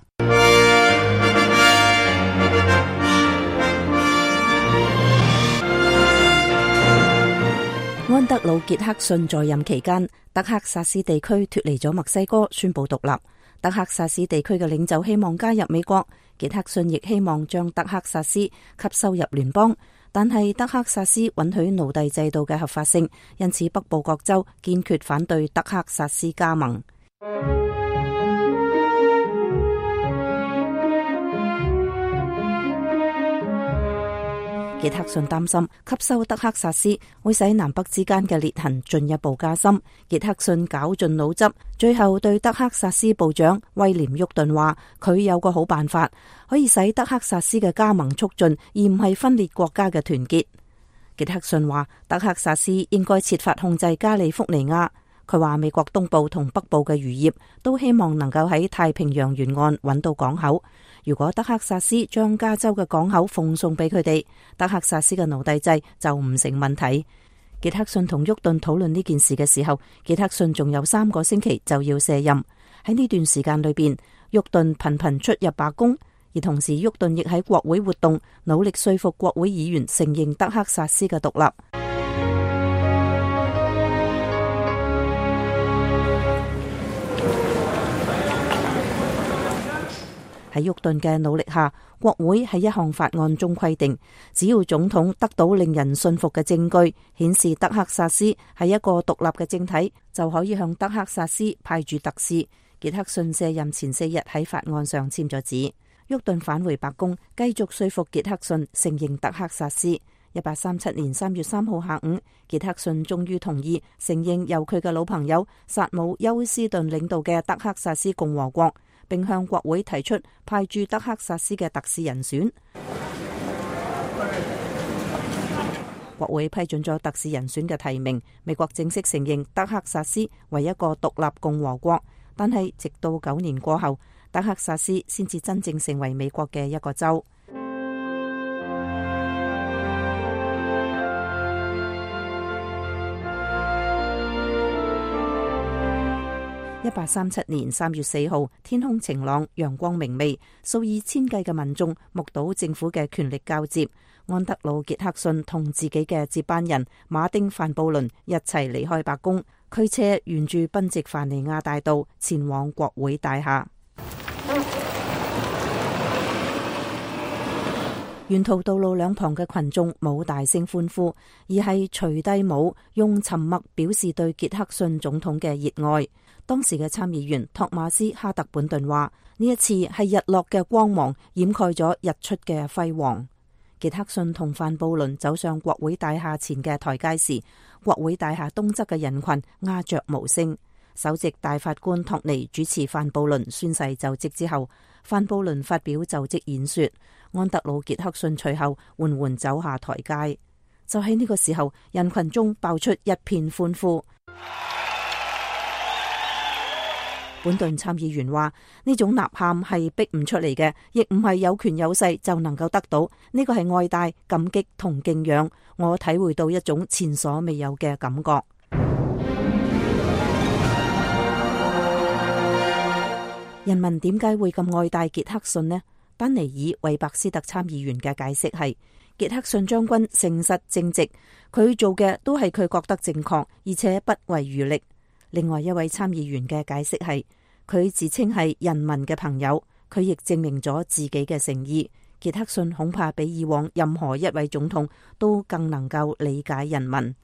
S21: 安德魯·傑克遜在任期間，德克薩斯地區脫離咗墨西哥，宣布獨立。德克薩斯地區嘅領袖希望加入美國，傑克遜亦希望將德克薩斯吸收入聯邦，但係德克薩斯允許奴隸制度嘅合法性，因此北部各州堅決反對德克薩斯加盟。傑克遜擔心吸收德克薩斯會使南北之間嘅裂痕進一步加深。傑克遜絞盡腦汁，最後對德克薩斯部長威廉沃頓話：佢有個好辦法，可以使德克薩斯嘅加盟促進，而唔係分裂國家嘅團結。傑克遜話：德克薩斯應該設法控制加利福尼亞。佢話美國東部同北部嘅漁業都希望能夠喺太平洋沿岸揾到港口。如果德克薩斯將加州嘅港口奉送俾佢哋，德克薩斯嘅奴隸制就唔成問題。傑克遜同沃頓討論呢件事嘅時候，傑克遜仲有三個星期就要卸任。喺呢段時間裏邊，沃頓頻頻出入白宮，而同時沃頓亦喺國會活動，努力說服國會議員承認德克薩斯嘅獨立。喺沃頓嘅努力下，國會喺一項法案中規定，只要總統得到令人信服嘅證據，顯示德克薩斯係一個獨立嘅政體，就可以向德克薩斯派駐特使。傑克遜卸任前四日喺法案上簽咗字。沃頓返回白宮，繼續說服傑克遜承認德克薩斯。一八三七年三月三號下午，傑克遜終於同意承認由佢嘅老朋友薩姆休斯頓領導嘅德克薩斯共和國，並向國會提出派駐德克薩斯嘅特使人選。國會批准咗特使人選嘅提名，美國正式承認德克薩斯為一個獨立共和國。但係直到九年過後，德克薩斯先至真正成為美國嘅一個州。一八三七年三月四號，天空晴朗，陽光明媚，數以千計嘅民眾目睹政府嘅權力交接。安德魯·傑克遜同自己嘅接班人馬丁·范布倫一齊離開白宮，驅車沿住賓夕凡尼亞大道前往國會大廈。沿途道路兩旁嘅群眾冇大聲歡呼，而係除低帽，用沉默表示對傑克遜總統嘅熱愛。當時嘅參議員托馬斯·哈特本頓話：呢一次係日落嘅光芒掩蓋咗日出嘅輝煌。傑克遜同范布倫走上國會大廈前嘅台階時，國會大廈東側嘅人群鴉雀無聲。首席大法官托尼主持范布倫宣誓就職之後，范布倫發表就職演說，安德魯·傑克遜隨後緩緩走下台階。就喺呢個時候，人群中爆出一片歡呼。本頓參議員話：呢種吶喊係逼唔出嚟嘅，亦唔係有權有勢就能夠得到。呢個係愛戴、感激同敬仰。我體會到一種前所未有嘅感覺。人民點解會咁愛戴傑克遜呢？丹尼爾·韋伯斯特參議員嘅解釋係：傑克遜將軍誠實正直，佢做嘅都係佢覺得正確，而且不遺餘力。另外一位參議員嘅解釋係，佢自稱係人民嘅朋友，佢亦證明咗自己嘅誠意。傑克遜恐怕比以往任何一位總統都更能夠理解人民。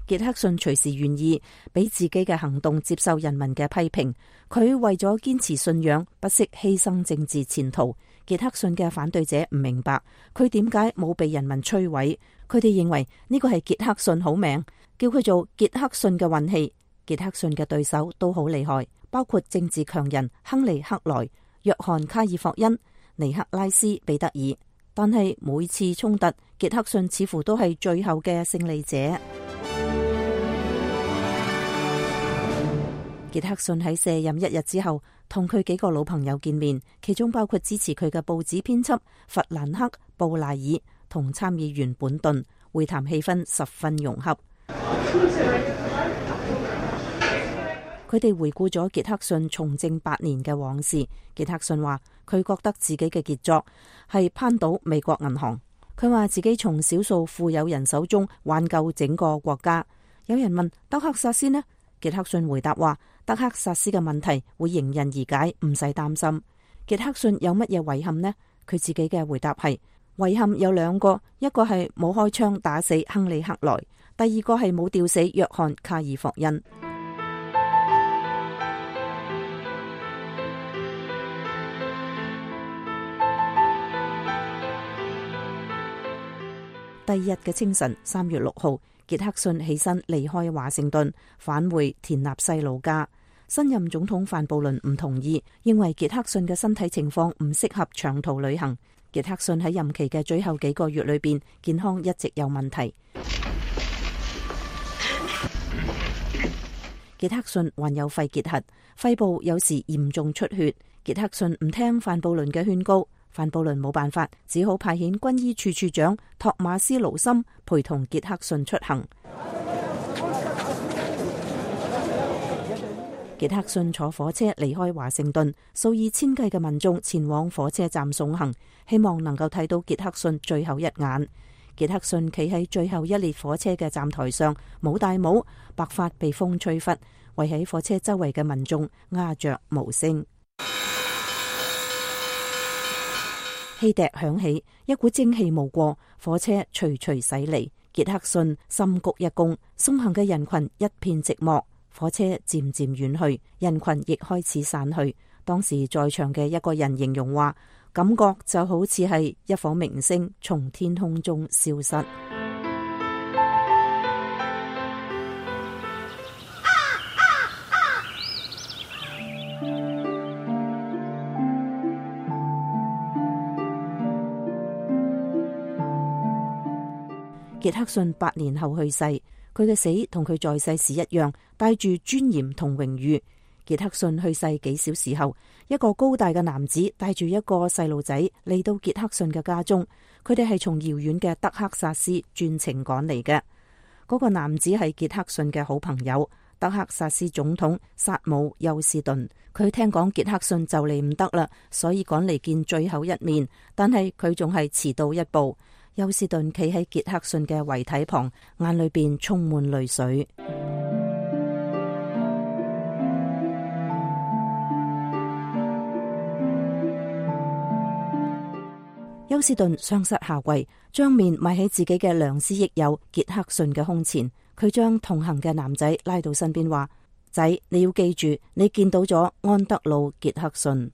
S21: 傑克遜隨時願意俾自己嘅行動接受人民嘅批評，佢為咗堅持信仰，不惜犧牲政治前途。傑克遜嘅反對者唔明白佢點解冇被人民摧毀，佢哋認為呢個係傑克遜好命，叫佢做傑克遜嘅運氣。傑克遜嘅對手都好厲害，包括政治強人亨利克萊、約翰卡爾霍恩、尼克拉斯彼得爾。但係每次衝突，傑克遜似乎都係最後嘅勝利者。傑克遜喺卸任一日之後，同佢幾個老朋友見面，其中包括支持佢嘅報紙編輯弗蘭克·布賴爾同參議員本頓，會談氣氛十分融洽。佢哋回顧咗傑克遜從政八年嘅往事。傑克遜話佢覺得自己嘅傑作係攀倒美國銀行。佢話自己從少數富有人手中挽救整個國家。有人問德克薩斯呢？傑克遜回答話德克薩斯嘅問題會迎刃而解，唔使擔心。傑克遜有乜嘢遺憾呢？佢自己嘅回答係遺憾有兩個，一個係冇開槍打死亨利克萊，第二個係冇吊死約翰卡爾霍恩。第二日嘅清晨，三月六號，傑克遜起身離開華盛頓，返回田納西老家。新任總統范布倫唔同意，認為傑克遜嘅身體情況唔適合長途旅行。傑克遜喺任期嘅最後幾個月裏邊，健康一直有問題。傑克遜患有肺結核，肺部有時嚴重出血。傑克遜唔聽范布倫嘅勸告。范布倫冇辦法，只好派遣軍醫處處長托馬斯盧森陪同傑克遜出行。傑克遜坐火車離開華盛頓，數以千計嘅民眾前往火車站送行，希望能夠睇到傑克遜最後一眼。傑克遜企喺最後一列火車嘅站台上，冇戴帽，白髮被風吹拂，圍喺火車周圍嘅民眾鴉雀無聲。汽笛響起，一股蒸汽冒過，火車徐徐駛離。傑克遜深鞠一躬，送行嘅人群一片寂寞。火車漸漸遠去，人群亦開始散去。當時在場嘅一個人形容話，感覺就好似係一顆明星從天空中消失。傑克遜八年後去世，佢嘅死同佢在世時一樣，帶住尊嚴同榮譽。傑克遜去世幾小時後，一個高大嘅男子帶住一個細路仔嚟到傑克遜嘅家中，佢哋係從遙遠嘅德克薩斯專程趕嚟嘅。嗰個男子係傑克遜嘅好朋友，德克薩斯總統薩姆休斯頓。佢聽講傑克遜就嚟唔得啦，所以趕嚟見最後一面，但係佢仲係遲到一步。休斯頓企喺傑克遜嘅遺體旁，眼裏邊充滿淚水。休斯頓雙膝下跪，將面埋喺自己嘅良師益友傑克遜嘅胸前。佢將同行嘅男仔拉到身邊，話：仔，你要記住，你見到咗安德魯傑克遜。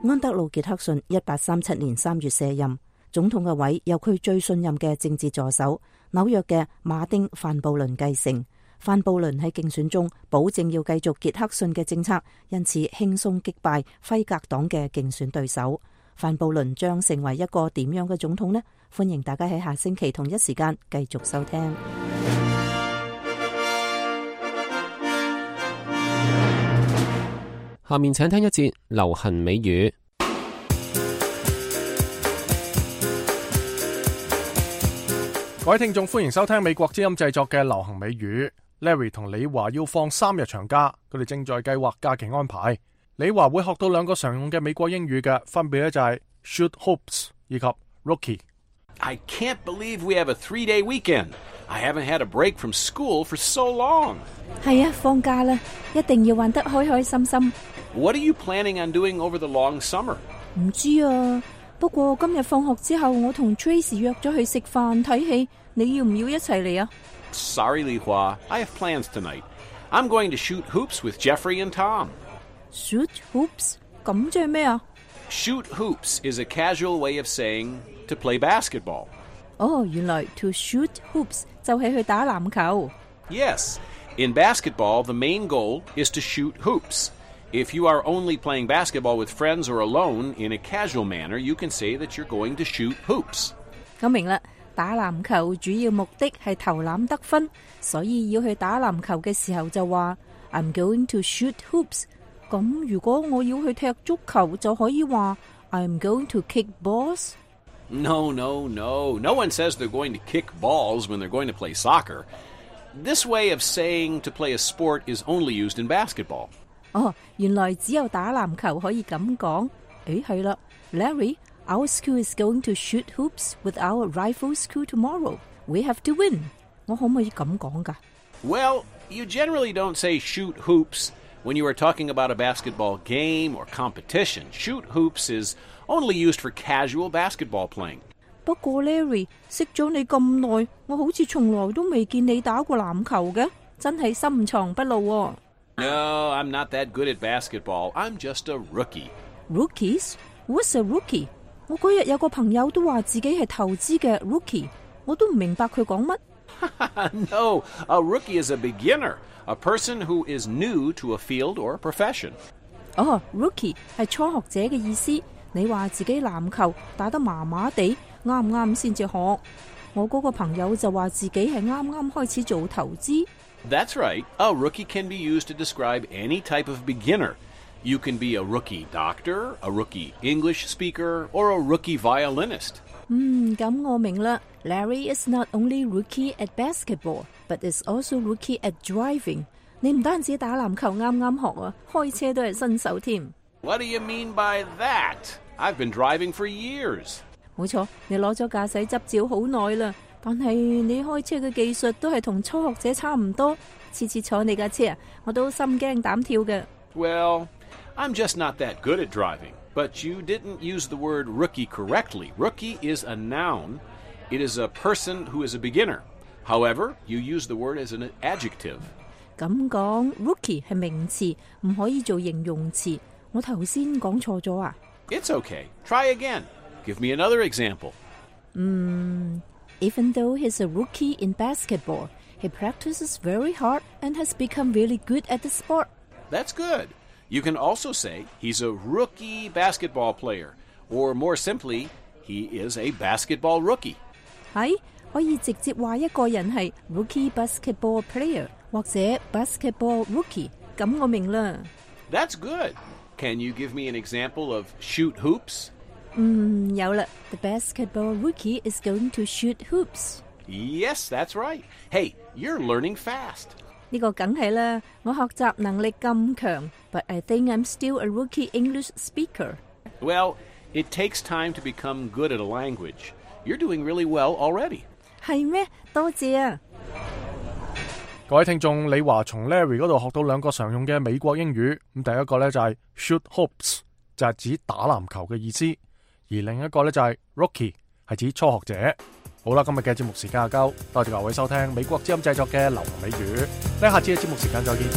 S21: 安德魯傑克遜一八三七年三月卸任總統嘅位，由佢最信任嘅政治助手紐約嘅馬丁范布倫繼承。范布倫喺競選中保證要繼續傑克遜嘅政策，因此輕鬆擊敗輝格黨嘅競選對手。范布倫將成為一個點樣嘅總統呢？歡迎大家喺下星期同一時間繼續收聽。
S3: 下面請聽一節流行美語。
S2: 各位聽眾，歡迎收聽美國之音製作嘅流行美語。Larry 同李華要放三日長假，佢哋正在計劃假期安排。李華會學到兩個常用嘅美國英語嘅，分別咧就係 should hopes 以及 rookie。I
S1: can't believe we have a three-day weekend. I haven't had a break from school for so long.
S21: 係啊，放假啦，一定要玩得開開心心。
S1: What are you planning on doing over the long summer?
S21: 唔知啊，不過今日放學之後，我同 Tracy 約咗去食飯睇戲，你要唔要一齊嚟啊？
S1: Sorry, Li Hua. I have plans tonight. I'm going to shoot hoops with Jeffrey and Tom.
S21: Shoot hoops? 咁即係咩啊？
S1: Shoot hoops is a casual way of saying to play basketball.
S21: 哦，原來 to shoot hoops 就係去打籃球。
S1: Yes. In basketball, the main goal is to shoot hoops. If you are only playing basketball with friends or alone in a casual manner, you can say that you're going to shoot hoops.
S21: 我明啦，打籃球主要目的係投籃得分，所以要去打籃球嘅時候就話 I'm going to shoot hoops。咁如果我要去踢足球，就可以話 I'm going to kick balls。
S1: No, no, no. No one says they're going to kick balls when they're going to play soccer. This way of saying to play a sport is only used in basketball.
S21: 哦，原來只有打籃球可以咁講。誒，係啦 ，Larry, our school is going to shoot hoops with our rival school tomorrow. We have to win. 我可唔可以咁講㗎？
S1: Well, you generally don't say shoot hoops when you are talking about a basketball game or competition. Shoot hoops is only used for casual basketball playing.
S21: 不過 Larry 識咗你咁耐，我好似從來都未見你打過籃球嘅，真係深藏不露喎。
S1: No, I'm not that good at basketball. I'm just a rookie.
S21: Rookies? What's a rookie? 我嗰日有個朋友都話自己係投資嘅 rookie， 我都唔明白佢講乜。
S1: No, a rookie is a beginner, a person who is new to a field or profession.
S21: 哦 ，rookie 係初學者嘅意思。你話自己籃球打得麻麻地，啱唔啱先至學？我嗰個朋友就話自己係啱啱開始做投資。
S1: That's right. A rookie can be used to describe any type of beginner. You can be a rookie doctor, a rookie English speaker, or a rookie violinist.
S21: 嗯，咁我明啦。Larry is not only rookie at basketball, but is also rookie at driving. 你唔單止打籃球啱啱學啊，開車都係新手添。
S1: What do you mean by that? I've been driving for years.
S21: 冇錯，你攞咗駕駛執照好耐啦，但係你開車嘅技術都係同初學者差唔多。次次坐你架車啊，我都心驚膽跳嘅。
S1: Well, I'm just not that good at driving. But you didn't use the word rookie correctly. Rookie is a noun. It is a person who is a beginner. However, you use the word as an adjective.
S21: 咁講 rookie 係名詞，唔可以做形容詞。我頭先講錯咗啊？
S1: It's okay. Try again. Give me another example.
S21: Mm, even though he's a rookie in basketball, he practices very hard and has become really good at the sport.
S1: That's good. You can also say he's a rookie basketball player, or more simply, he is a basketball rookie.
S21: 係可以直接話一個人係 rookie basketball player 或者 basketball rookie， 咁我明啦。
S1: That's good. Can you give me an example of shoot hoops?
S21: 嗯，有啦。The basketball rookie is going to shoot hoops.
S1: Yes, that's right. Hey, you're learning fast.
S21: 呢個梗係啦，我學習能力咁強 ，but I think I'm still a rookie English speaker.
S1: Well, it takes time to become good at a language. You're doing really well already.
S21: 係咩？多謝啊！
S2: 各位聽眾，李華從 Larry 嗰度學到兩個常用嘅美國英語。咁第一個呢就係 shoot hoops， 就係指打籃球嘅意思；而另一個呢就係 rookie， 係指初學者。好啦，今日嘅節目時間就夠，多謝各位收聽美國之音製作嘅流行美語。呢下次嘅節目時間再見。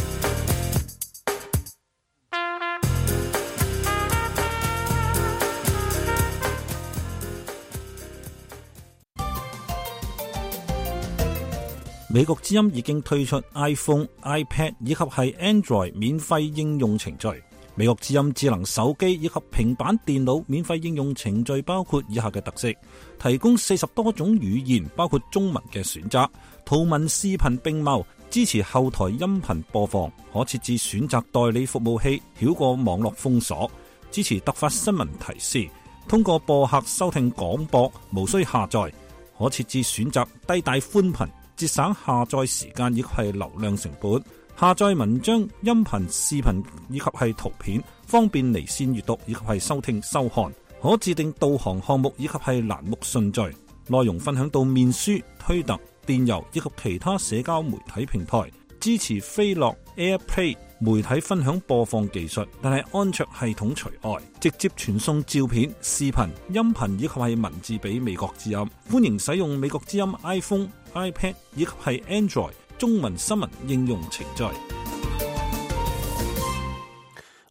S6: 美國之音已經推出 iPhone、iPad 以及係 Android 免費應用程序。美國之音智能手機以及平板電腦免費應用程序包括以下嘅特色：提供四十多種語言，包括中文嘅選擇，圖文視頻並茂，支持後台音頻播放，可設置選擇代理服務器，繞過網絡封鎖，支持突發新聞提示，通過播客收聽廣播，無需下載，可設置選擇低帶寬頻，節省下載時間以及係流量成本。下載文章、音頻、視頻以及係圖片，方便離線閱讀以及係收聽收看。可自定導航項目以及係欄目順序。內容分享到面書、推特、電郵以及其他社交媒體平台。支持飛樂 AirPlay 媒體分享播放技術，但係安卓系統除外。直接傳送照片、視頻、音頻以及係文字俾美國之音。歡迎使用美國之音 iPhone、iPad 以及係 Android 中文新聞應用程序。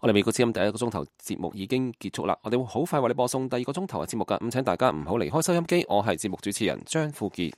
S3: 我哋美國之音第一個鐘頭節目已經結束啦，我哋會好快為你播送第二個鐘頭嘅節目㗎，咁請大家唔好離開收音機。我係節目主持人張富傑。